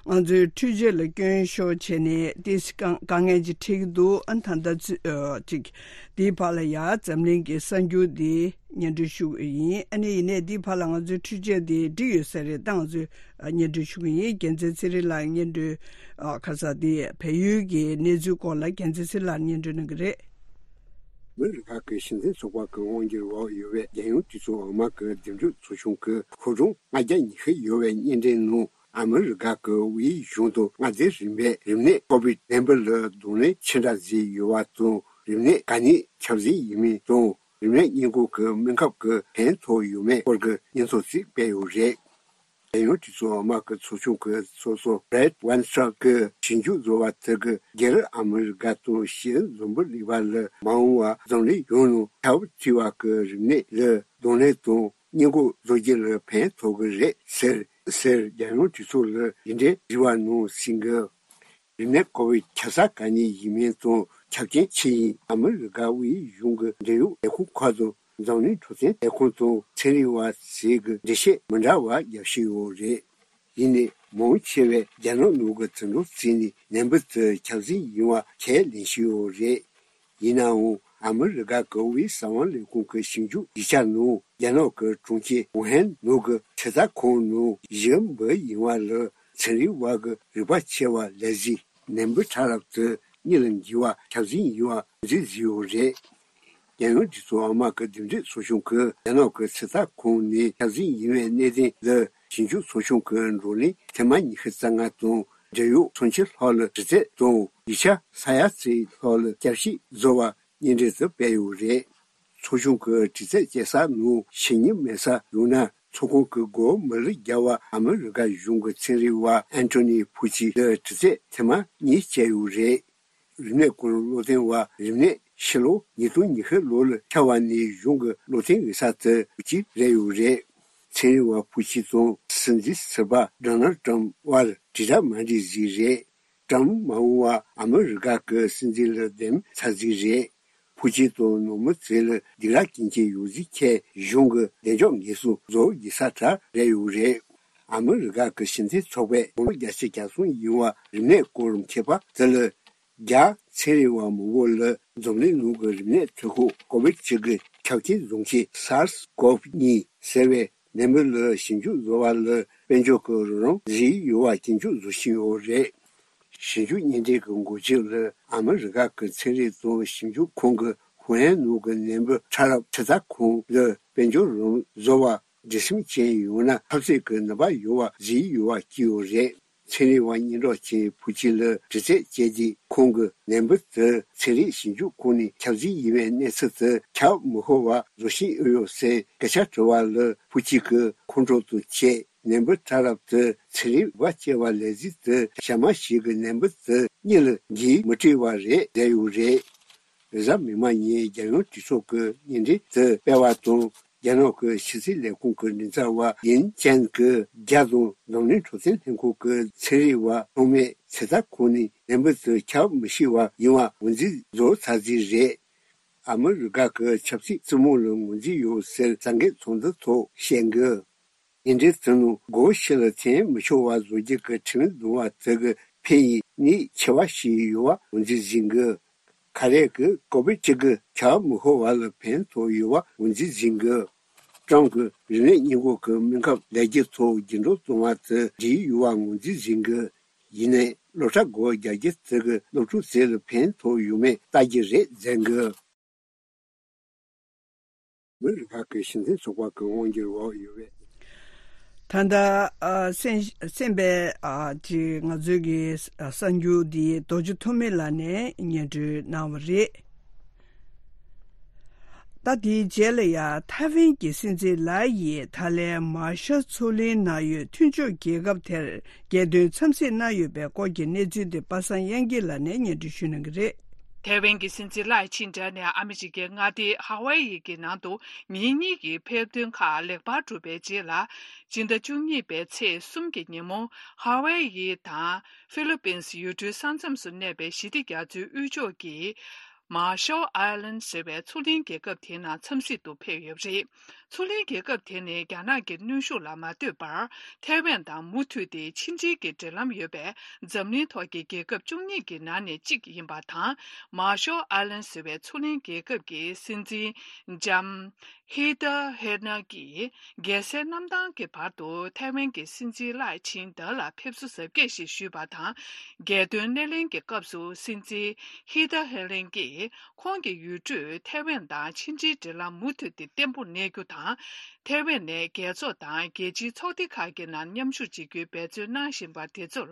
ང་ཚོའི་འཕྲུལ་ཆས་ལ་སྐྱོན་ཤོར་བྱས་ནས་ཏོག་ཙམ་དཀའ་དཀའ་ངལ་ཅིག་འཕྲད་ཀྱི་འདུག་ཨ་ད་ལྟ་ཚུ་ཨ་ཅིག་འདིའི་བར་ལ་ཡ་འཛམ་གླིང་གི་གསར་འགྱུར་འདི་སྙན་སྒྲོན་ཞུ་གི་ཡིན། ཨ་ནི་ཡིན་ནའི་འདིའི་བར་ལ་ང་ཚོའི་འཕྲུལ་ཆས་འདི་འགྲིག་ཡོད་ས་རེད། ད་ང་ཚོས་ཨ་སྙན་སྒྲོན་ཞུ་གི་ཡིན། རྒྱལ་མཚན་ཚེ་རིང་ལགས་སྙན་སྒྲོན་ཨ་ཁ་ས་འདི་བལ་ཡུལ་གྱི་གནས་ཚུལ་སྐོར་ལ་རྒྱལ་མཚན་ཚེ་རིང་ལགས་སྙན་སྒྲོན་གནང་གི་རེད། མི་རི་ཁག་གི་སྤྱི་མཐུན་ཚོགས་པ་གི་དབང་སྒྱུར་འོག་ཡོད་པའི་རྒྱལ་ཡོངས་གྲོས་ཚོགས་འོག་མ་གི་འདེམས་སྒྲུག་ཚོགས་ཆུང་གི་ཤོག་གྲངས་ལྔ་བརྒྱ་ཉི་ཤུ་ཡོད་པའི་སྙན་འགྲེལ་ནང་། ཨ་མི་རི་ཀ་གི་དབུས་གཞུང་དང་མངའ་སྡེ་རིམ་པས་རིམས་ནད་ཀོ་བིད་ནད་འབུ་ལ་གདོང་ལེན་ཅི་འདྲ་བཟོས་ཡོད་པ་དང་། རིམས་ནད་ག་ནས་ཁྱབ་ཟིན་ཡིན་མིན་དང་། རིམས་ནད་སྔོན་འགོག་གི་སྨན་ཁབ་ཀྱི་ཕན་ཐོགས་ཡོད་མེད་སྐོར་གྱི་སྙན་ཐོ་ཞིག་སྤེལ་ཡོད་རེད། རྒྱལ་ཡོངས་གྲོས་ཚོགས་འོག་མ་གི་ཚོགས་ཆུང་གི་ཚོགས་གཙོ་Brad Wenstrup གིས་ཞིབ་འཇུག་བཟོ་བ་དེ་གིས་རྒྱ་རི་ཨ་མི་རི་ཀ་དང་ཤེས་ཡོན་འཛམ་བུ་གླིང་པ་ལ་མ་འོངས་པར་འཛམ་གླིང་ཡོངས་ནང་ཁྱབ་ཚུལ་བ་གི་རིམས་ནད་ལ་གདོང་ལེན་དང་། སྔོན་འགོག་བཟོ་རྒྱུ་ལ་ཕན་ཐོགས་ཀྱི་རེད་ཟེར་ཟེར། རྒྱལ་ཡོངས་གྲོས་ཚོགས་ལ་ཡིག་འབྲེལ་བྲིས་པ་ནང་གསུངས་གི། རིམས་ནད་ཀོ་བིད་ཁྱབ་ས་ག་ནས་ཡིན་མིན་དང་ཁྱབ་རྐྱེན་ཅི་ཡིན་ཨ་མི་རི་ཀ་དབུས་གཞུང་གི་འབྲེལ་ཡོད་ལས་ཁུངས་ཁག་དང་འཛམ་གླིང་འཕྲོད་བསྟེན་ལས་ཁུངས་དང་ཚན་རིག་པ་ཟུར་གྱིས་འགྲེལ་བཤད་མི་འདྲ་བ་རྒྱབ་བཞིན་ཡོད་རེད། ཡིན་ནའི་མང་ཆེ་བས་རྒྱ་ནག་ནང་གི་དུད་འགྲོ་བཙུགས་ནས་ནད་འབུ་དེ་ཁྱབ་ཟིན་ཡིན་པ་ཁས་ལེན་བཞིན་ཡོད་རེད། ཡིན་ནའང་ཨ་མི་རི་ཀ་གི་དབུས་གསང་བ་ལས་ཁུངས་ཀྱི་ཞིབ་འཇུག་ཡིག་ཆ་ནང་རྒྱ་ནག་གི་གྲོང་ཁྱེར་ཝུ་ཧན་ནང་གི་ཚོད་ལྟ་ཁང་ནང་ཞིག་འབུ་ཡིན་པ་ལ་ཚན་རིག་པ་གི་རིག་པ་ཆེ་བ་ལས་གཞི་ནད་འབུ་ཕྲ་རབ་དེ་མྱི་ལ་འགོས་པ་ཁྱབ་ཟིན་ཡིན་པ་འཛིན་བཟོས་ཡོད་རེད། རྒྱལ་ཡོངས་གྲོས་ཚོགས་འོག་མ་གི་འདེམས་སྒྲུག་ཚོགས་ཆུང་གིས་རྒྱ་ནག་གི་ཚོད་ལྟ་ཁང་ནས་ཁྱབ་ཟིན་ཡིན་པའི་གནད་དོན་ལ་ཞིབ་འཇུག་ཚོགས་ཆུང་གི་བགྲོ་གླེང་ཐེངས་མ་ཉི་ཤུ་རྩ་ལྔ་དང་འབྲེལ་ཡོད་ཚོགས་ཆུང་ལྷག་ལ་དྲི་རྩད་དང་ཡིག་ཆ་ས་ཡ་གཅིག་ལྷག་ལ་བསྐྱར་ཞིབ་བཟོ་བ་སྙན་འགྲེལ་དུ་སྤེལ་ཡོད་རེད། ཚོགས་ཆུང་གི་དྲི་རྩད་བྱེད་ས་ནང་ཞེ་གཉིས་མེད་ས་ཡོད་ན། ཚོགས་ཁང་གི་སྒོ་མི་ལ་རྒྱག་པར་ཨ་མི་རི་ཀ་གཞུང་གི་ཚན་རིག་པ་ཨན་ཐོ་ནི་ཕུ་ཆི་ལ་དྲི་རྩད་ཐེངས་མ་གཉིས་བྱས་ཡོད་རེད། རིམས་ནད་སྐོར་བློ་བསྟན་པ་རིམས་ནད་ཕྱི་ལོ་ཉིས་སྟོང་ཉི་ཤུ་ལོ་ལ་ཁྱབ་པ་ནས་གཞུང་གི་བློ་བསྟན་འོས་ས་དེ་ཕུ་ཆི་རེད་ཡོད་རེད། ཚན་རིག་པ་ཕུ་ཆི་དང་སྲིད་འཛིན་ཟུར་པ་ཌོ་ནལ་ཊམ་དབར་དྲིལ་བསྒྲགས་མ་འགྲིག་ཟིག་རེད། ཊམ་མ་འོངས་པར་ཨ་མི་རི་ཀ་གི་སྲིད་འཛིན་ལ་འདེམས་ཚར་ཟིག་རེད། ཕུ་ཆི་དང་ནོར་མི་ཚོ་ལ་སྡིགས་ར་སྐྱོན་གྱི་ཡོད་ཟིག་ཁྱེད་གཞུང་གི་བདེ་འཇགས་ངེས་སྲུང་བཟོ་དགོས་ས་དྲག་རེད་ཡོད་རེད། ཨ་མི་རི་ཀ་གི་སྤྱི་མཐུན་ཚོགས་པས་དགུང་ལོ་བརྒྱད་ཅུ་གྱ་གསུམ་ཡིན་པ་རིམས་ནད་སྐོར་མཁས་པ་དེ་ལ། རྒྱ་ཚན་རིག་པ་མང་པོ་ལ་འཛམ་གླིང་ནང་གི་རིམས་ནད་ཐོན་ཁུངས་ཀོ་བིད་བཅུ་དགུ་ཁྱབ་རྐྱེན་བཟོ་མཁན་སཱར་སི་ཀོབ་གཉིས་ཟེར་བའི་ནད་འབུ་ལ་ཞིབ་འཇུག་བཟོ་བ་ལ་དཔལ་འབྱོར་གྱི་རོགས་རམ་བཟོས་ཡོད་པ་སྐྱོན་བརྗོད་བཟོ་བཞིན་ཡོད་རེད། ཞིབ་འཇུག་སྙན་འགྲེལ་གྱི་འགོ་བརྗོད་ལ་ཨ་མི་རི་ཀ་གི་ཚན་རིག་དང་ཞིབ་འཇུག་ཁང་གི་ཧུའུ་ཧན་ནང་གི་ནད་འབུ་ཕྲ་རབ་ཚོད་ལྟ་ཁང་ལ་དཔལ་འབྱོར་རོགས་རམ་བཟོ་བར་འདོད་སེམས་ཅན་ཡོད་ན་འཐབ་རྩོད་ཀྱི་ནུས་པ་ཡོད་པ་བཟོས་ཡོད་པ་བཀོད་ཡོད་རེད། ཚན་རིག་པ་སྙན་གྲགས་ཅན་ཕུ་ཆི་ལ་དྲི་རྩད་བྱས་ཏེ་ཁོང་གིས་ནད་འབུ་དེ་ཚན་རིག་ཞིབ་འཇུག་ཁང་ནས་ཁྱབ་ཟིན་ཡིན་པའི་གནས་ཚུལ་དེ་ཁྱབ་མི་ཤོར་བ་བཟོ་བཞིན་ཡོད་ཟེར་སྐད་ཆ་དྲི་བ་ལ་ཕུ་ཆི་གིས་ཁོང་ཁྲོ་དང་བཅས་ནད་འབུ་ཕྲ་རབ་དེ་ཚན་རིག་པ་སྐྱེ་བ་ལས་གཟིགས་དེ་ཞག་མ་ཞིག་གི་ནད་འབུ་དེ་མྱི་ལ་འགོས་མི་སྲིད་པ་རེད་བསྡད་ཡོད་རེད། རེས་གཟའ་མིག་དམར་ཉིན་རྒྱལ་ཡོངས་གྲོས་ཚོགས་ཀྱི་སྙན་འགྲེལ་དེ་སྤེལ་བ་དང་། རྒྱ་ནག་གི་ཕྱི་སྲིད་ལས་ཁུངས་ཀྱི་མགྲིན་ཚབ་པ་ཡིན་ཅན་གྱིས་རྒྱ་དང་འཛམ་གླིང་འཕྲོད་བསྟེན་ལྷན་ཁང་གི་ཚན་རིག་པ་ཚང་མས་ཚོད་ལྟ་ཁང་ནས་ནད་འབུ་དེ་ཁྱབ་མི་ཤེས་པ་ཡིན་པ་ངོས་འཛིན་བཟོ་ཚར་རྩིས་རེད། ཨ་མི་རི་ཀ་གི་ཆབ་སྲིད་བཙུན་མོ་ལ་ངོས་འཛིན་ཡོད་ཟེར་གསར་འགོད་ཚོགས་འདུ་ཐོག་བཤད་འགོད། སྙན་འགྲེལ་དེ་ནང་སྒོ་ཕྱི་ལ་འཐེན་མི་ཆོག་པ་བཟོ་རྒྱུ་གི་ཁྲིམས་འདུལ་བ་དེ་གི་ཕན་ཡོན་ནུས་ཆེ་བ་ཞིག་ཡོད་པ་ངོས་འཛིན་བྱེད་དགོས། ཁ་རས་ཀྱིས་ཀོ་བིད་བཅུ་དགུ་ཁྱབ་མི་ཤོར་བ་ལ་ཕན་ཐོགས་ཡོད་པ་ངོས་འཛིན་བྱེད་དགོས། ཀྲམ་གྱིས་རིམས་ནད་སྔོན་འགོག་གི་སྨན་ཁབ་ལས་རྒྱུ་ཐོག་འགྱུར་ལྡོག་བཏང་བ་དེ་འགྲིག་ཡོད་པ་ངོས་འཛིན་བྱེད་དགོས། ཡིན་ནའི་སློབ་གྲྭ་སྒོ་རྒྱག་རྒྱུ་དེ་གིས་སློབ་ཕྲུག་ཚོ་ལ་ཕན་ཐོགས་ཡོད་མེད་ལྟ་རྒྱུ་རེད་བསྡད་དགོས། མི་རིགས་ཁག་གི་སྤྱི་མཐུན་ཚོགས་པ་གི་དབང་སྒྱུར་འོག་ཡོད་པའི། ད་ལྟ་ཨ་གསན་གསན་པའི་ཨ་ཅིག་ང་ཚོའི་གི་ཨ་གསར་འགྱུར་འདི་རྡོ་རྗེ་ཐོགས་མེད་ལགས་ནས་སྙན་སྒྲོན་གནང་བ་རེད། ད་དེའི་རྗེས་ལ་ཡང་ཐའེ་ཝན་གྱི་སྲིད་འཛིན་ལའེ་ཡིས་ད་ལན་མར་ཤལ་མཚོ་གླིང་ནང་ཡོད་མཐུན་ཕྱོགས་རྒྱལ་ཁབ་དེར་རྒྱལ་དོན་འཚམས་གཟིགས་གནང་ཡོད་པའི་སྐོར་གྱི་གནས་ཚུལ་དེ་པ་སངས་དབྱངས་སྐྱིད་ལགས་ནས་སྙན་སྒྲོན་ཞུ་གནང་གི་རེད། ཐའེ་ཝན་གྱི་སྲིད་འཛིན་ལའེ་ཆིང་ཏེ་ནས་ཨ་མི་རི་ཀའི་མངའ་སྡེ་ཧ་ཝའེ་ཡི་གི་ནང་དུ་ཉིན་གཉིས་ཀྱི་ཕེབས་ཐོན་ཁག་ལེགས་པར་གྲུབ་པའི་རྗེས་ལ། སྤྱི་ཟླ་བཅུ་གཉིས་པའི་ཚེས་གསུམ་གྱི་ཉིན་མོ་ཧ་ཝའེ་ཡི་དང་ཧྥི་ལི་པིན་སི་ཡུལ་གྲུའི་ས་མཚམས་སུ་གནས་པའི་ཞི་བདེ་རྒྱ་མཚོའི་དབུས་ཕྱོགས་ཀྱི་མར་ཤལ་ཨའི་ལན་ཟེར་བའི་མཚོ་གླིང་རྒྱལ་ཁབ་དེའི་ནང་འཚམས་གཟིགས་དུ་ཕེབས་ཡོད་པ་རེད། མཚོ་གླིང་རྒྱལ་ཁབ་དེ་ནི་རྒྱ་ནག་གི་གནོན་ཤུགས་ལ་མ་ལྟོས་པར་ཐའེ་ཝན་དང་མུ་མཐུད་དེ་ཕྱི་འབྲེལ་གྱི་འབྲེལ་ལམ་ཡོད་པའི་འཛམ་གླིང་ཐོག་གི་རྒྱལ་ཁབ་བཅུ་གཉིས་ཀྱི་ནང་ནས་གཅིག་ཡིན་པ་དང་། མར་ཤལ་ཨའི་ལན་ཟེར་བའི་མཚོ་གླིང་རྒྱལ་ཁབ་ཀྱི་སྲིད་འཛིན་ལྕམ་ཧི་ཏ་ཧེ་ན་གྱིས་རྒྱལ་སའི་གནམ་ཐང་གི་བར་དུ་ཐའེ་ཝན་གྱི་སྲིད་འཛིན་ལའེ་ཆིང་ཏེ་ལ་ཕེབས་བསུ་གཟབ་རྒྱས་ཤིག་ཞུས་པ་དང་། རྒྱལ་དོན་སྣེ་ལེན་གྱི་སྐབས་སུ་སྲིད་འཛིན་ཧི་ཏ་ཧེ་ལིན་གྱིས། ཁོང་གི་ཡུལ་གྲུས་ཐའེ་ཝན་དང་ཕྱི་འབྲེལ་འབྲེལ་ལམ་མུ་མཐུད་དེ་བརྟན་པོ་གནས་རྒྱུ་དང་། ཐའེ་ཝན་ནས་རྒྱལ་ཚོགས་དང་རྒྱལ་སྤྱིའི་ཚོགས་སྡེ་ཁག་གི་ནང་མཉམ་ཞུགས་བྱེད་རྒྱུའི་འབད་བརྩོན་གནང་བཞིན་པ་དེ་ཚོར་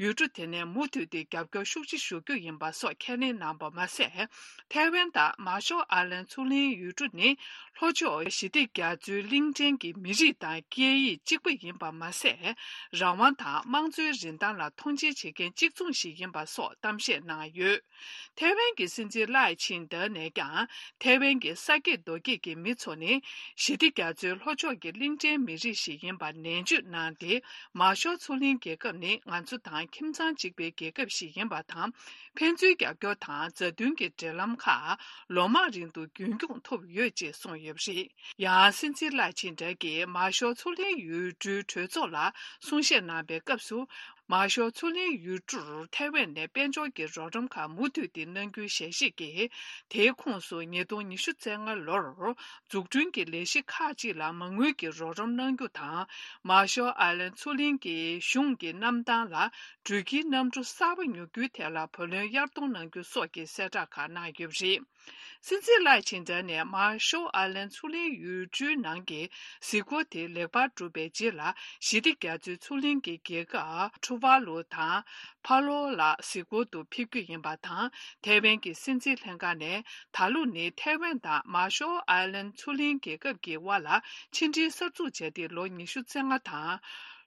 ཡུལ་གྲུ་དེ་ནས་མུ་མཐུད་དེ་རྒྱབ་སྐྱོར་ཤུགས་ཆེ་ཞུ་རྒྱུ་ཡིན་པ་སོགས་ཁས་ལེན་གནང་པ་མ་ཟད། ཐའེ་ཝན་དང་མར་ཤལ་ཨའི་ལན་མཚོ་གླིང་ཡུལ་གྲུ་ནི་ལྷོ་ཕྱོགས་ཞི་བདེ་རྒྱ་མཚོའི་གླིང་ཕྲན་གྱི་མི་རིགས་དང་སྐད་ཡིག་གཅིག་པ་ཡིན་པ་མ་ཟད། རང་དབང་དང་དམངས་གཙོའི་རིན་ཐང་ལ་མཐོང་ཆེན་བྱེད་མཁན་གཅིག་མཚུངས་ཤིག་ཡིན་པ་སོགས་གཏམ་བཤད་གནང་ཡོད། ཐའེ་ཝན་གྱི་སྲིད་འཛིན་ལའེ་ཆིང་ཏེ་ནས་ཀྱང་ཐའེ་ཝན་གྱི་ས་སྐྱེས་རྡོ་སྐྱེས་ཀྱི་མི་ཚོ་ནི་ཞི་བདེ་རྒྱ་མཚོའི་ལྷོ་ཕྱོགས་ཀྱི་གླིང་ཕྲན་མི་རིགས་ཤིག་ཡིན་པ་ནན་བརྗོད་གནང་སྟེ། མར་ཤལ་མཚོ་གླིང་རྒྱལ་ཁབ་ནི་ང་ཚོ་དང་ཁྱིམ་ཚང་གཅིག་པའི་རྒྱལ་ཁབ་ཞིག་ཡིན་པ་དང་། ཕན་ཚུན་རྒྱབ་སྐྱོར་དང་མཛའ་མཐུན་གྱི་འབྲེལ་ལམ་ཁག་ལོ་མང་རིང་དུ་རྒྱུན་འཁྱོངས་ཐུབ་ཡོད་ཅེས་གསུངས་ཡོད་པ་རེད། ཡང་སྲིད་འཛིན་ལའེ་ཆིང་ཏེ་གིས་མར་ཤལ་མཚོ་གླིང་ཡུལ་གྲུའི་གྲོས་ཚོགས་ལ་གསུང་བཤད་གནང་པའི་སྐབས་སུ། མར་ཤལ་མཚོ་གླིང་ཡུལ་གྲུར་ཐའེ་ཝན་ནས་དཔལ་འབྱོར་གྱི་རོགས་རམ་ཁག་མུ་མཐུད་དེ་གནང་རྒྱུའི་ཞལ་བཞེས་ཀྱིས། དེའི་ཁོངས་སུ་ཉིས་སྟོང་ཉི་ཤུ་རྩ་ལྔ་ལོར་འཛུགས་སྐྲུན་གྱི་ལས་གཞི་ཁག་ཅིག་ལ་མ་དངུལ་གྱི་རོགས་རམ་གནང་རྒྱུ་དང་། མར་ཤལ་ཨའི་ལན་མཚོ་གླིང་གི་གཞུང་གི་གནམ་ཐང་ལ་འགྲུལ་སྐྱེལ་གནམ་གྲུ་གསར་པ་ཉོ་རྒྱུའི་ཐད་ལ་བུ་ལོན་གཡར་གཏོང་གནང་རྒྱུ་སོགས་ཀྱི་གསལ་བསྒྲགས་ཁག་གནང་ཡོད་པ་རེད། སྲིད་འཛིན་ལའེ་ཆིང་ཏེ་ནས་མར་ཤལ་ཨའི་ལན་མཚོ་གླིང་ཡུལ་གྲུའི་ནང་གི་གཟིགས་སྐོར་དེ་ལེགས་པར་གྲུབ་པའི་རྗེས་ལ། ཞི་བདེ་རྒྱ་མཚོའི་མཚོ་གླིང་གི་རྒྱལ་ཁབ་ཊུ་ཝཱ་ལུ་དང་ཕ་ལོ་ལ་གཟིགས་སྐོར་དུ་ཕེབས་རྒྱུ་ཡིན་པ་དང་། ཐའེ་ཝན་གྱི་སྲིད་འཛིན་ལྷན་ཁང་ནས་ད་ལོ་ནི་ཐའེ་ཝན་དང་མར་ཤལ་ཨའི་ལན་མཚོ་གླིང་རྒྱལ་ཁབ་ཀྱི་དབར་ལ་ཕྱི་འབྲེལ་གསར་འཛུགས་བྱས་ཏེ་ལོ་ཉི་ཤུ་རྩ་ལྔ་དང་།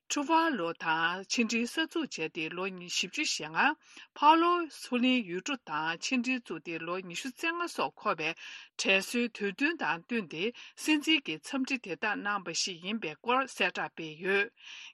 ཊུ་ཝཱ་ལུ་དང་ཕྱི་འབྲེལ་གསར་འཛུགས་བྱས་ཏེ་ལོ་ཉི་བཞི་བཅུ་ཞེ་ལྔ། ཕ་ལོ་མཚོ་གླིང་ཡུལ་གྲུ་དང་ཕྱི་འབྲེལ་བཙུགས་ཏེ་ལོ་ཉི་ཤུ་རྩ་ལྔ་སོགས་འཁོར་བའི་དྲན་གསོའི་དུས་སྟོན་དང་བསྟུན་ཏེ། སྲིད་འཛིན་གྱི་འཚམས་འདྲི་དེ་དག་གནང་བ་ཞིག་ཡིན་པའི་སྐོར་གསལ་བསྒྲགས་སྤེལ་ཡོད།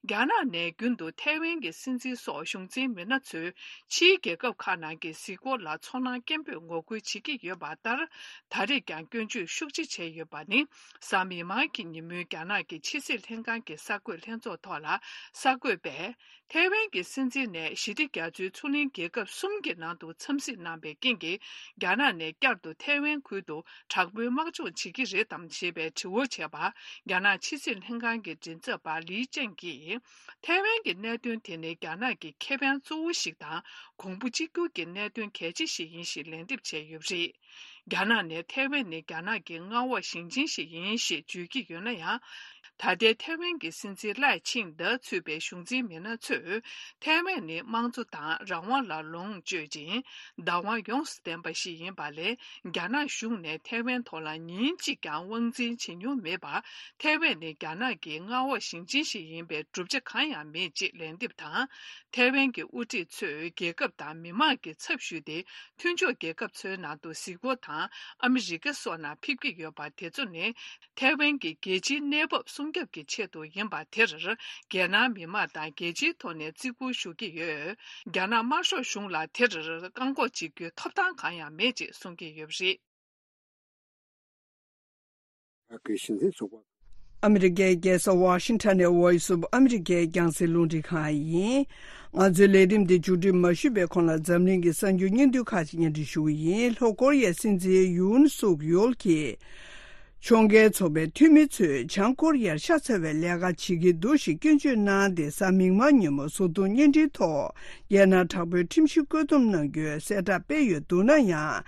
རྒྱ་ནག་ནས་རྒྱུན་དུ་ཐའེ་ཝན་གྱི་སྲིད་འཛིན་སོགས་གཞུང་འཛིན་མི་སྣ་ཚོས་ཕྱིའི་རྒྱལ་ཁབ་ཁག་ནང་གི་གཟིགས་སྐོར་ལ་ཚོར་སྣང་སྐྱེན་པོས་ངོ་རྒོལ་བྱེད་ཀྱི་ཡོད་པ་ལྟར། ད་རེས་ཀྱང་སྐྱོན་བརྗོད་ཤུགས་ཆེ་བྱས་ཡོད་པ་ནི། གཟའ་མིག་དམར་གྱི་ཉིན་མོའི་རྒྱ་ནག་གི་ཕྱི་སྲིད་ལྷན་ཁང་གི་གསར་འགོད་ལྷན་ཚོགས་ཐོག་ལ་གསར་འགོད་པས། ཐའེ་ཝན་གྱི་སྲིད་འཛིན་ནས་ཞི་བདེ་རྒྱ་མཚོའི་མཚོ་གླིང་རྒྱལ་ཁབ་གསུམ་གྱི་ནང་དུ་འཚམས་གཟིགས་གནང་པའི་རྐྱེན་གྱིས། རྒྱ་ནག་ནས་བསྐྱར་དུ་ཐའེ་ཝན་ཁུལ་དུ་དྲག་པོའི་དམག་སྦྱོང་བྱེད་ཀྱི་རེད་དམ་ཞེས་པའི་དྲི་བ་བྱས་པར། རྒྱ་ནག་ཕྱི་སྲིད་ལྷན་ཁང་གི་མགྲིན་ཚབ་པ་ལི་ཅན་གྱིས། ཐའེ་ཝན་གྱི་གནད་དོན་དེ་ནི་རྒྱ་ནག་གི་ཁེ་ཕན་གཙོ་བོ་ཞིག་དང་། གོང་བུ་གཅིག་གྱུར་གྱི་གནད་དོན་གལ་ཆེ་ཞིག་ཡིན་ཞེས་ལན་འདེབས་བྱས་ཡོད་པ་རེད། རྒྱ་ནག་ནས་ཐའེ་ཝན་ནི་རྒྱ་ནག་གི་མངའ་འོག་ཞིང་ཆེན་ཞིག་ཡིན་ཞེས་བརྗོད་ཀྱི་ཡོད་ན་ཡང་། ད་ལྟའི་ཐའེ་ཝན་གྱི་སྲིད་འཛིན་ལའེ་ཆིང་ཏེ་ཚུད་པའི་གཞུང་འཛིན་མི་སྣ་ཚོས། ཐའེ་ཝན་ནི་དམངས་གཙོ་དང་རང་དབང་ལ་ལོངས་སྤྱོད་ཅིང་། བདག་དབང་ཡོངས་སུ་ལྡན་པ་ཞིག་ཡིན་པ་ལས། རྒྱ་ནག་གཞུང་ནས་ཐའེ་ཝན་ཐོག་ལ་ཉིན་གཅིག་ཀྱང་དབང་འཛིན་བྱེད་མྱོང་མེད་པར། ཐའེ་ཝན་ནི་རྒྱ་ནག་གི་མངའ་འོག་ཞིང་ཆེན་ཞིག་ཡིན་པའི་གྲུབ་ཆ་གང་ཡང་མེད་ཅེས་ལན་འདེབས་དང་། ཐའེ་ཝན་གྱི་དབུ་ཁྲིད་ཚོས་རྒྱལ་ཁབ་དང་མི་དམངས་ཀྱི་ཚབ་ཞུས་ཏེ། མཐུན་ཕྱོགས་རྒྱལ་ཁབ་ཚོའི་ནང་དུ་གཟིགས་སྐོར་དང་ཨ་མི་རི་ཀ་སོགས་ནང་ཕེབས་ཀྱི་ཡོད་པ་དེ་ཚོ་ནི། ཐའེ་ཝན་གྱི་རྒྱལ་སྤྱིའི་གནས་བབ་སྲུང་སྐྱོབ་ཀྱི་ཆེད་དུ་ཡིན་པ་དེར། རྒྱལ་ནང་མི་དམངས་དང་རྒྱལ་སྤྱིའི་ཐོག་ནས་བརྩི་བཀུར་ཞུ་གི་ཡོད། རྒྱ་ནག་དམར་ཤོག་གཞུང་ལ་དེར་བཀག་འགོག་བྱེད་རྒྱུའི་ཐོབ་ཐང་གང་ཡང་མེད་ཅེས་གསུང་གི་ཡོད་པ་རེད། ཨ་ཀེ་གཞི་འཛིན་ཚོགས་པ། ཨ་མི་རི་ཀའི་རྒྱལ་ས་ཝ་ཤིང་ཊོན་ནས་Voice of America་རྒྱང་སྲིང་རླུང་འཕྲིན་ཁང་ཡིན། ང་ཚོའི་ལས་རིམ་འདི་མཇུག་སྒྲིལ་མ་ཞུས་པའི་གོང་ལ་འཛམ་གླིང་གི་གསར་འགྱུར་སྙིང་བསྡུས་ཁག་ཅིག་སྙན་སྒྲོན་ཞུ་གི་ཡིན། ལྷོ་ཀོ་རི་ཡའི་སྲིད་འཛིན་ཡུན་སུག་ཡོལ་གྱིས། ཕྱོགས་འགལ་ཚོགས་པའི་འཐུས་མི་ཚོས་བྱང་ཀོ་རི་ཡར་ཤ་ཚ་བའི་ལས་ཀ་བྱེད་ཀྱི་འདུག་ཞེས་སྐྱོན་བརྗོད་གནང་སྟེ། གཟའ་མིག་དམར་ཉིན་མོ་གཟུགས་མཐོང་བརྙན་འཕྲིན་ཐོག་རྒྱལ་ནང་དྲག་པོའི་ཁྲིམས་གཞི་བཀོད་འདོམས་གནང་རྒྱུའི་གསལ་བསྒྲགས་སྤེལ་ཡོད་འདུག་ན་ཡང་།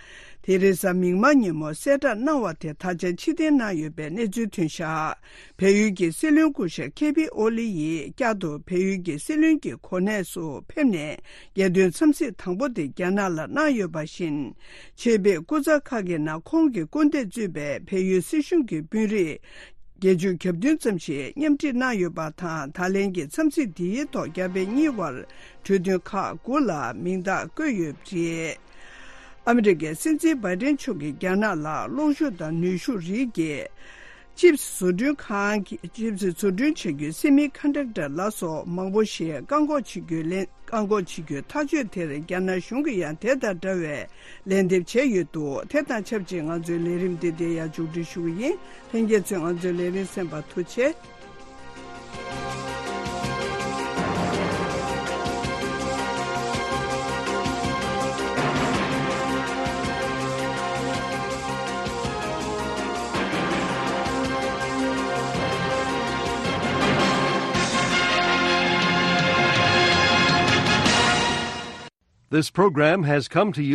དེ་རིང་གཟའ་མིག་དམར་ཉིན་མོ་གསལ་བསྒྲགས་གནང་བ་དེ་ད་ཆ་ཕྱིར་འཐེན་གནང་ཡོད་པའི་གནས་ཚུལ་ཐོན་བཞག་བལ་ཡུལ་གྱི་སྲིད་བློན་སྐུ་ཞབས་ཁེ་པི་ཨོ་ལི་ཡིས་བསྐྱར་དུ་བལ་ཡུལ་གྱི་སྲིད་བློན་གྱི་གོ་གནས་སུ་ཕེབས་ནས། རྒྱལ་དོན་འཚམས་གཟིགས་དང་པོ་དེ་རྒྱ་ནག་ལ་གནང་ཡོད་པ་བཞིན། ཆེད་ཕེབས་སྐུ་ཚབ་ཁག་གི་ནང་ཁོང་གི་སྐུ་ཟླས་གཙོས་པའི་བལ་ཡུལ་སྲིད་གཞུང་གི་དཔོན་རིགས་བརྒྱད་ཅུ་གྱ་བདུན་ཙམ་ཞིག་མཉམ་ཁྲིད་གནང་ཡོད་པ་དང་། ད་ལན་གྱི་འཚམས་གཟིགས་འདིའི་ཐོག་རྒྱ་བལ་གཉིས་བར་གྲོས་མཐུན་ཁག་དགུ་ལ་མིང་རྟགས་བཀོད་ཡོད་པ་རེད། ཨ་མི་རི་ཀའི་སྲིད་འཛིན་བྷའི་ཏན་མཆོག་གིས་རྒྱ་ནག་ལ་གློག་ཤུགས་དང་ནུས་ཤུགས་རིགས་ཀྱི་ཅིབ་བཟོ་སྐྲུན་ཁང་གི་ཅིབ་བཟོ་སྐྲུན་བྱ་རྒྱུའི་སེ་མི་ཀོན་ཌག་ཊར་ལ་སོགས་མང་པོ་ཞིག་བཀག་འགོག་བྱེད་རྒྱུའི་ལན། བཀག་འགོག་བྱེད་རྒྱུའི་ཐག་གཅོད་དེར་རྒྱ་ནག་གཞུང་གིས་ཡང་དེ་དང་འདྲ་བའི་ལན་འདེབས་བྱས་ཡོད་འདུག་དེ་དང་ཆབས་ཅིག་ང་ཚོའི་ལས་རིམ་འདི་འདིར་ཡང་མཇུག་སྒྲིལ་ཞུ་གི་ཡིན། ལྷན་རྒྱས་ཚོས་ང་ཚོའི་ལས་རིམ་གསན་པར་ཐུགས་རྗེ་ཆེ། This program has come to you